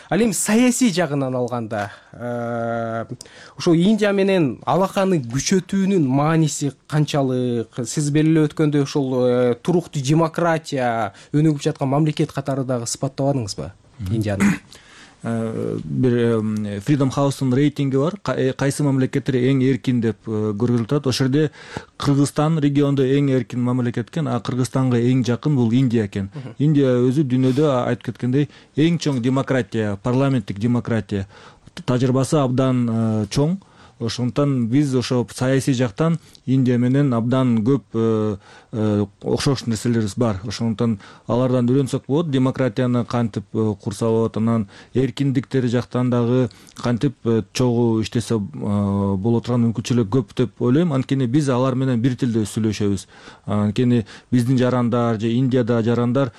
Ал эми саясий жагынан алганда ошо Индия менен алаканы күчөтүүнүн мааниси канчалык? Сиз белгилеп өткөндөй ошол туруктуу демократия өнүгүп жаткан мамлекет катары дагы сыпаттабадыңызбы Индияны? Бир Freedom House'ун рейтинги бар. Кайсы мамлекеттер эң эркин деп көрүлүп атат. Ошол жерде Кыргызстан региондо эң эркин мамлекет экен, а Кыргызстанга эң жакын бул Индия экен. Индия өзү дүйнөдө айтып кеткендей эң чоң демократия, парламенттик демократия. Тажрыйбасы абдан чоң. ошондуктан биз ошо саясий жактан Индия менен абдан көп окшош нерселерибиз бар. Ошондуктан алардан үйрөнсөк болот, демократияны кантип курса болот, анан эркиндиктери жактан дагы кантип чогуу иштесе боло турган мүмкүнчүлүк көп деп ойлойм. Анткени биз алар менен бир тилде сүйлөшөбүз. Анткени биздин жарандар же Индияда жарандар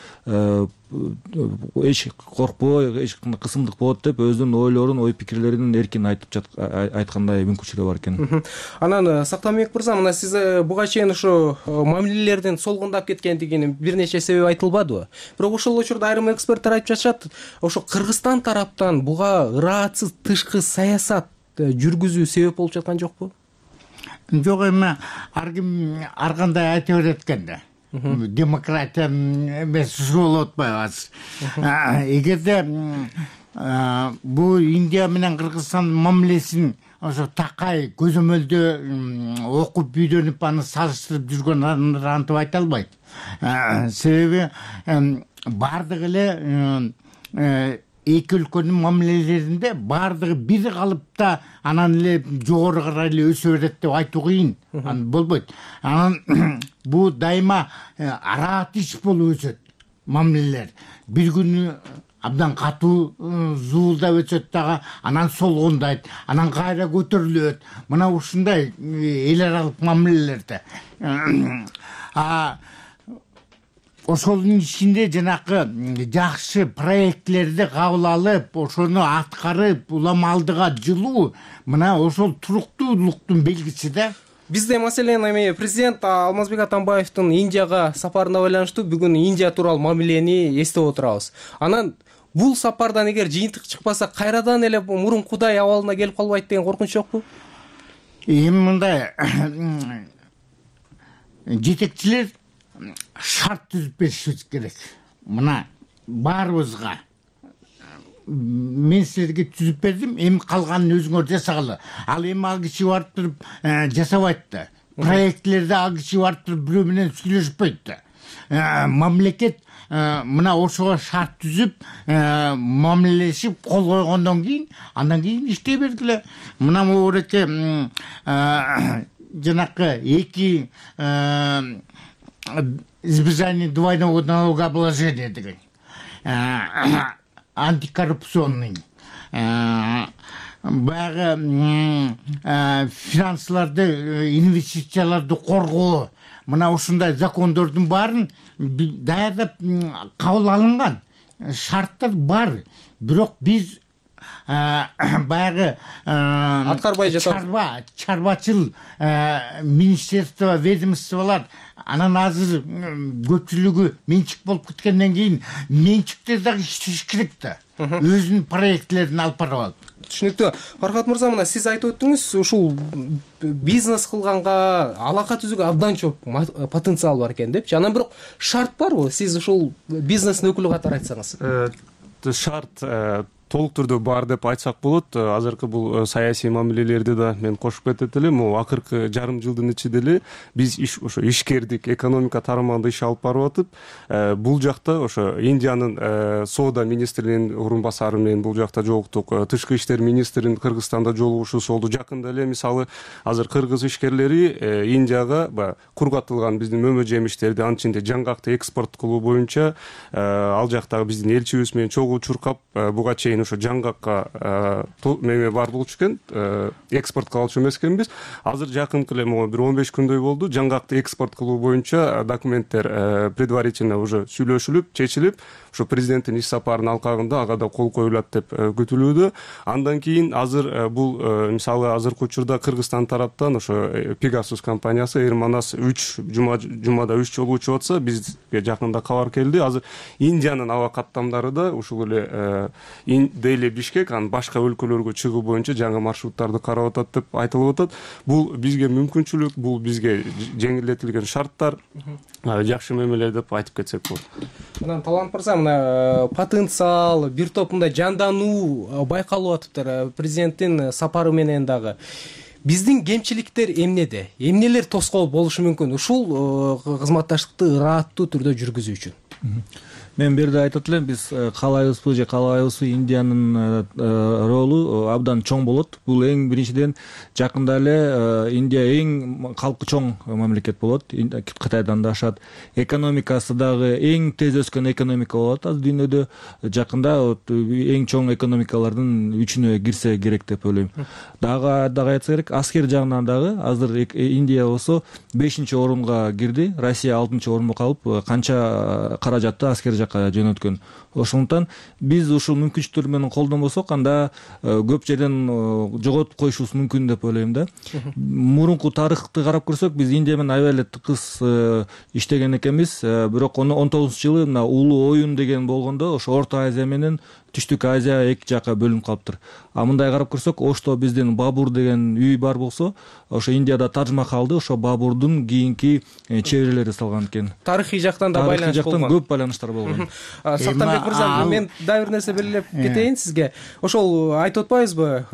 эч коркпой, эч кандай кысымдык болот деп өзүнүн ойлорун, ой пикирлерин эркин айтып айткандай мүмкүнчүлүгү бар экен. Анан Сактанбек мырза, мына сиз буга чейин ошо мамилелердин солгундап кеткендигинин бир нече себеби айтылбадыбы? Бирок ошол учурда айрым эксперттер айтып жатышат, ошо Кыргызстан тараптан буга ыраатсыз тышкы саясат жүргүзүү себеп болуп жаткан жокпу? Жок, эми ар ким ар кандай айта берет экен да. Демократия эмес ушул болуп атпайбы? Эгерде бул Индия менен Кыргызстан мамилесин ошо такай көзөмөлдө окуп үйрөнүп аны салыштырып жүргөн антип айта албайт. Себеби бардыгы эле эки өлкөнүн мамилелеринде бардыгы бир калыпта анан эле жогору карай эле өсө берет деп айтуу кыйын. Анан болбойт. Анан бул дайыма араат иш болуп өсөт мамилелер. Бир күнү абдан катуу зуулдап өтөт дагы, анан солгундайт, анан кайра көтөрүлөт. Мына ушундай эл аралык мамилелерде. А ошонун ичинде жанакы жакшы проектлерди кабыл алып, ошону аткарып, улам алдыга жылуу, мына ошол туруктуулуктун белгиси да. Бизде маселен эми президент Алмазбек Атамбаевдин Индияга сапарына байланыштуу бүгүн Индия тууралуу мамилени эстеп отурабыз. Анан бул сапардан эгер жыйынтык чыкпаса, кайрадан эле мурункудай абалына келип калбайт деген коркунуч жокпу? Эми мындай жетекчилер шарт түзүп беришибиз керек. Мына баарыбызга мен силерге түзүп бердим, эми калганын өзүңөр жасагыла. Ал эми ал киши барып туруп жасабайт да. Проектлерди ал киши барып туруп бирөө менен сүйлөшпөйт да. Мамлекет мына ошого шарт түзүп, мамилелешип кол койгондон кийин, андан кийин иштей бергиле. Мына могуреке жанакы эки избежание двойного налогообложения деген антикоррупционный баягы финансыларды, инвестицияларды коргоо, мына ушундай закондордун баарын даярдап кабыл алынган шарттар бар. Бирок биз баягы аткарбай жатабыз. Чарба, чарбачыл министерство, ведомстволар анан азыр көпчүлүгү менчик болуп кеткенден кийин менчиктер дагы иштеш керек да. Өзүнүн проектлерин алып барып алып. Түшүнүктүү. Фархат мырза, мына сиз айтып өттүңүз, ушул бизнес кылганга, алака түзүүгө абдан чоң потенциал бар экен депчи. Анан бирок шарт барбы? Сиз ушул бизнестин өкүлү катары айтсаңыз. Шарт толук түрдө бар деп айтсак болот. Азыркы бул саясий мамилелерди да мен кошуп кетет элем. Могу акыркы жарым жылдын ичинде эле биз иш ошо ишкердик, экономика тармагында иш алып барып атып, бул жакта ошо Индиянын соода министринин орун басары менен бул жакта жолуктук. Тышкы иштер министринин Кыргызстанда жолугушуусу болду. Жакында эле мисалы азыр кыргыз ишкерлери Индияга баягы кургатылган биздин мөмө жемиштерди, анын ичинде жаңгакты экспорт кылуу боюнча ал жактагы биздин элчибиз менен чогуу чуркап, буга чейин ошо жаңгакка меме бар болчу экен, экспорт кылчу эмес экенбиз. Азыр жакынкы эле могу бир он беш күндөй болду, жаңгакты экспорт кылуу боюнча документтер предварительно уже сүйлөшүлүп, чечилип, ошо президенттин иш сапарынын алкагында ага да кол коюлат деп күтүлүүдө. Андан кийин азыр бул мисалы азыркы учурда Кыргызстан тараптан ошо Pegasus компаниясы Эрманас үч жума жумада үч жолу учуп атса, бизге жакында кабар келди. Азыр Индиянын аба каттамдары да ушул эле Дели, Бишкек, анан башка өлкөлөргө чыгуу боюнча жаңы маршруттарды карап атат деп айтылып атат. Бул бизге мүмкүнчүлүк, бул бизге жеңилдетилген шарттар, жакшы мемелер деп айтып кетсек болот. Анан Талант мырза, мына потенциал, бир топ мындай жандануу байкалып атыптыр президенттин сапары менен дагы. Биздин кемчиликтер эмнеде? Эмнелер тоскоол болушу мүмкүн ушул кызматташтыкты ырааттуу түрдө жүргүзүү үчүн? мен бул жерде айтат элем, биз каалайбызбы же каалабайбызбы, Индиянын ролу абдан чоң болот. Бул эң биринчиден жакында эле Индия эң калкы чоң мамлекет болот, Кытайдан да ашат. Экономикасы дагы эң тез өскөн экономика болот азыр дүйнөдө. Жакында эң чоң экономикалардын үчүнө кирсе керек деп ойлойм. Дагы дагы айтса керек, аскер жагынан дагы азыр Индия болсо бешинчи орунга кирди, Россия алтынчы орунда калып, канча каражатты аскер жакка жөнөткөн. Ошондуктан биз ушул мүмкүнчүлүктөр менен колдонбосок, анда көп жерден жоготуп коюшубуз мүмкүн деп ойлойм да. Мурунку тарыхты карап көрсөк, биз Индия менен аябай эле тыкыз иштеген экенбиз. Бирок он тогузунчу жылы мына улуу оюн деген болгондо ошо Орто Азия менен Түштүк Азия эки жакка бөлүнүп калыптыр. А мындай карап көрсөк, Ошто биздин Бабур деген үй бар болсо, ошо Индияда Тадж Махалды ошо Бабурдун кийинки чеберелери салган экен. Тарыхый жактан да байланыш болгон. Тарыхый жактан көп байланыштар болгон. Сактанбек мырза, мен дагы бир нерсе белгилеп кетейин сизге. Ошол айтып атпайбызбы,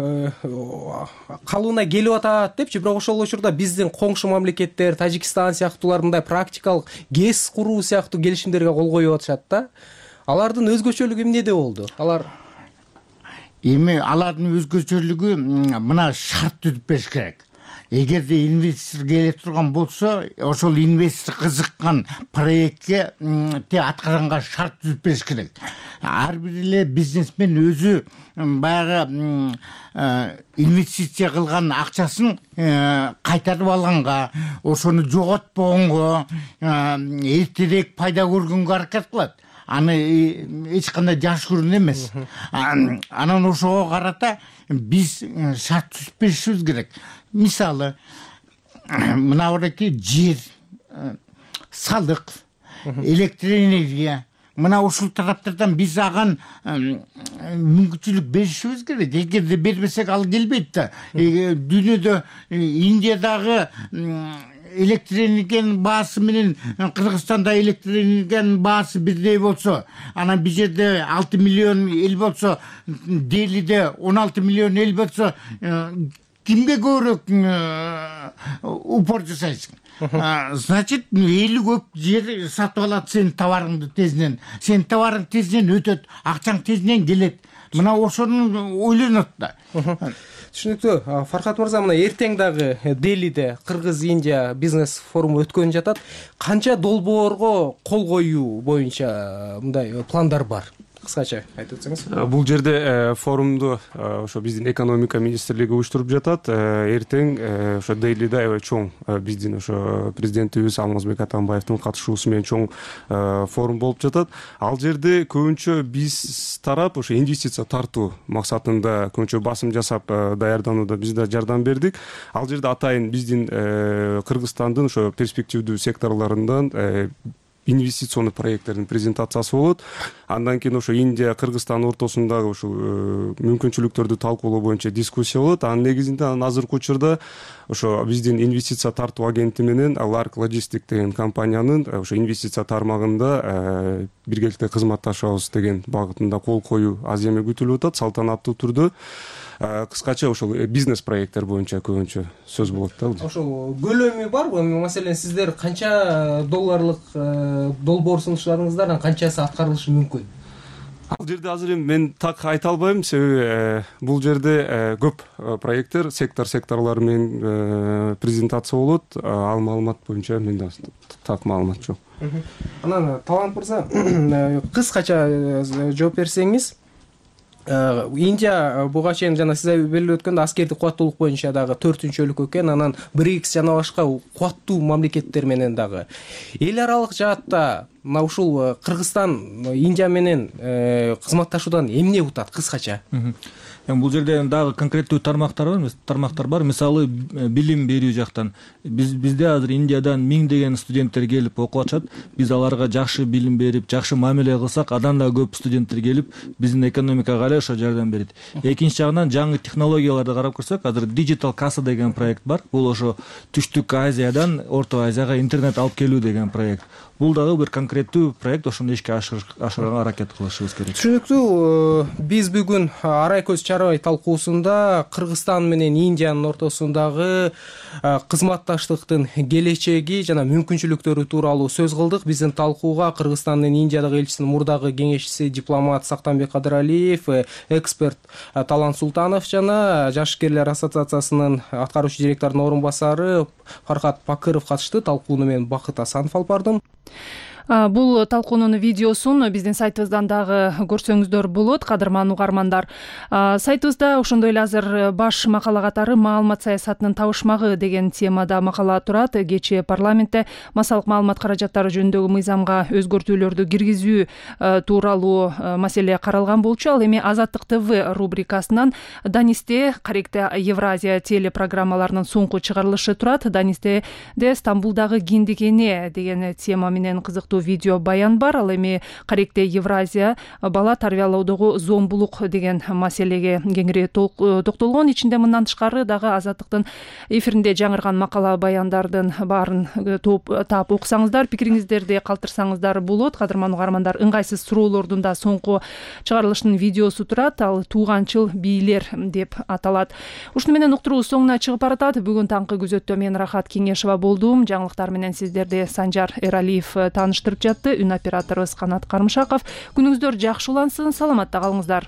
калыбына келип атат депчи, бирок ошол учурда биздин коңшу мамлекеттер, Тажикстан сыяктуулар мындай практикалык ГЭС куруу сыяктуу келишимдерге кол коюп атышат да. Алардын өзгөчөлүгү эмнеде болду? Алар эми алардын өзгөчөлүгү мына шарт түзүп бериш керек. Эгерде инвестор келе турган болсо, ошол инвестор кызыккан проектке аткаранга шарт түзүп бериш керек. Ар бир эле бизнесмен өзү баягы инвестиция кылган акчасын кайтарып алганга, ошону жоготпогонго, эртерээк пайда көргөнгө аракет кылат. Аны эч кандай жашыруун эмес. Анан ошого карата биз шарт түзүп беришибиз керек. Мисалы, мына бураки жер, салык, электр энергия, мына ушул тараптардан биз аган мүмкүнчүлүк беришибиз керек. Эгерде бербесек ал келбейт да. Дүйнөдө Индиядагы электр энергиянын баасы менен Кыргызстанда электр энергиянын баасы бирдей болсо, анан бул жерде алты миллион эл болсо, Делиде он алты миллион эл болсо, кимге көбүрөөк упор жасайсың? Значит, эли көп жер сатып алат сенин товарыңды тезинен. Сенин товарың тезинен өтөт, акчаң тезинен келет. Мына ошону ойлонот да. Түшүнүктүү. Фархат мырза, мына эртең дагы Делиде Кыргыз-Индия бизнес форуму өткөн жатат. Канча долбоорго кол коюу боюнча мындай пландар бар? Кыскача айтып өтсөңүз. Бул жерде форумду ошо биздин экономика министрлиги уюштуруп жатат. Эртең ошо Делиде аябай чоң биздин ошо президентибиз Алмазбек Атамбаевдин катышуусу менен чоң форум болуп жатат. Ал жерде көбүнчө биз тарап ошо инвестиция тартуу максатында көбүнчө басым жасап даярданууда биз да жардам бердик. Ал жерде атайын биздин Кыргызстандын ошо перспективдүү секторлорундан инвестиционный проекттердин презентациясы болот. Андан кийин ошо Индия, Кыргызстан ортосундагы ушул мүмкүнчүлүктөрдү талкуулоо боюнча дискуссия болот. Анын негизинде азыркы учурда ошо биздин инвестиция тартуу агенти менен Lark Logistic деген компаниянын ошо инвестиция тармагында биргеликте кызматташабыз деген багытында кол коюу аз эме күтүлүп атат, салтанаттуу түрдө. Кыскача ошол бизнес проекттер боюнча көбүнчө сөз болот да. Ошол көлөмү барбы? Маселен, сиздер канча долларлык долбоор сунуштарыңыздан канчасы аткарылышы мүмкүн? Ал жерде азыр эми мен так айта албайм, себеби бул жерде көп проекттер, сектор секторлор менен презентация болот. Ал маалымат боюнча менде так маалымат жок. Анан Талант мырза, кыскача жооп берсеңиз, Индия буга чейин жана сиз белгилеп өткөндө аскердик кубаттуулук боюнча дагы төртүнчү өлкө экен, анан БРИКС жана башка кубаттуу мамлекеттер менен дагы эл аралык жаатта мына ушул Кыргызстан Индия менен кызматташуудан эмне утат кыскача? Бул жерде дагы конкреттүү тармактар бар, тармактар бар. Мисалы, билим берүү жактан биз бизде азыр Индиядан миңдеген студенттер келип окуп атышат. Биз аларга жакшы билим берип, жакшы мамиле кылсак, адан да көп студенттер келип биздин экономикага эле ошо жардам берет. Экинчи жагынан жаңы технологияларды карап көрсөк, азыр Digital Kassa деген проект бар. Бул ошо Түштүк Азиядан Орто Азияга интернет алып келүү деген проект. Бул дагы бир конкрет конкреттүү проект ошону ишке ашырганга аракет кылышыбыз керек. Түшүнүктүү. Биз бүгүн арай көз чарбай талкуусунда Кыргызстан менен Индиянын ортосундагы кызматташтыктын келечеги жана мүмкүнчүлүктөрү тууралуу сөз кылдык. Биздин талкууга Кыргызстандын Индиядагы элчисинин мурдагы кеңешчиси дипломат Сактанбек Кадыралиев, эксперт Талант Султанов жана Жашкерлер ассоциациясынын аткаруучу директорунун орун басары Фархат Пакыров катышты. Талкууну мен Бакыт Асанов алып бардым. Бул талкуунун видеосун биздин сайтыбыздан дагы көрсөңүздөр болот, кадырман угармандар. Сайтыбызда ошондой эле азыр баш макала катары маалымат саясатынын табышмагы деген темада макала турат. Кечээ парламентте массалык маалымат каражаттары жөнүндөгү мыйзамга өзгөртүүлөрдү киргизүү тууралуу маселе каралган болчу. Ал эми Азаттык ТВ рубрикасынан Данисте Каректе Евразия телепрограммаларынын соңку чыгарылышы турат. Данистеде Стамбулдагы киндикене деген тема менен кызыктуу видео баян бар. Ал эми Каректе Евразия бала тарбиялоодогу зомбулук деген маселеге кеңири токтолгон. Ичинде мындан тышкары дагы Азаттыктын эфиринде жаңырган макала баяндардын баарын таап окусаңыздар, пикириңиздерди калтырсаңыздар болот. Кадырман угармандар, ыңгайсыз суроолордун да соңку чыгарылышынын видеосу турат. Ал тууганчыл бийлер деп аталат. Ушуну менен уктуруу соңуна чыгып баратат. Бүгүн таңкы күзөттө мен Рахат Кеңешова болдум. Жаңылыктар менен сиздерди Санжар Эралиев тааныштырып жатты. Үн операторубуз Канат Кармышаков. Күнүңүздөр жакшы улансын, саламатта калыңыздар.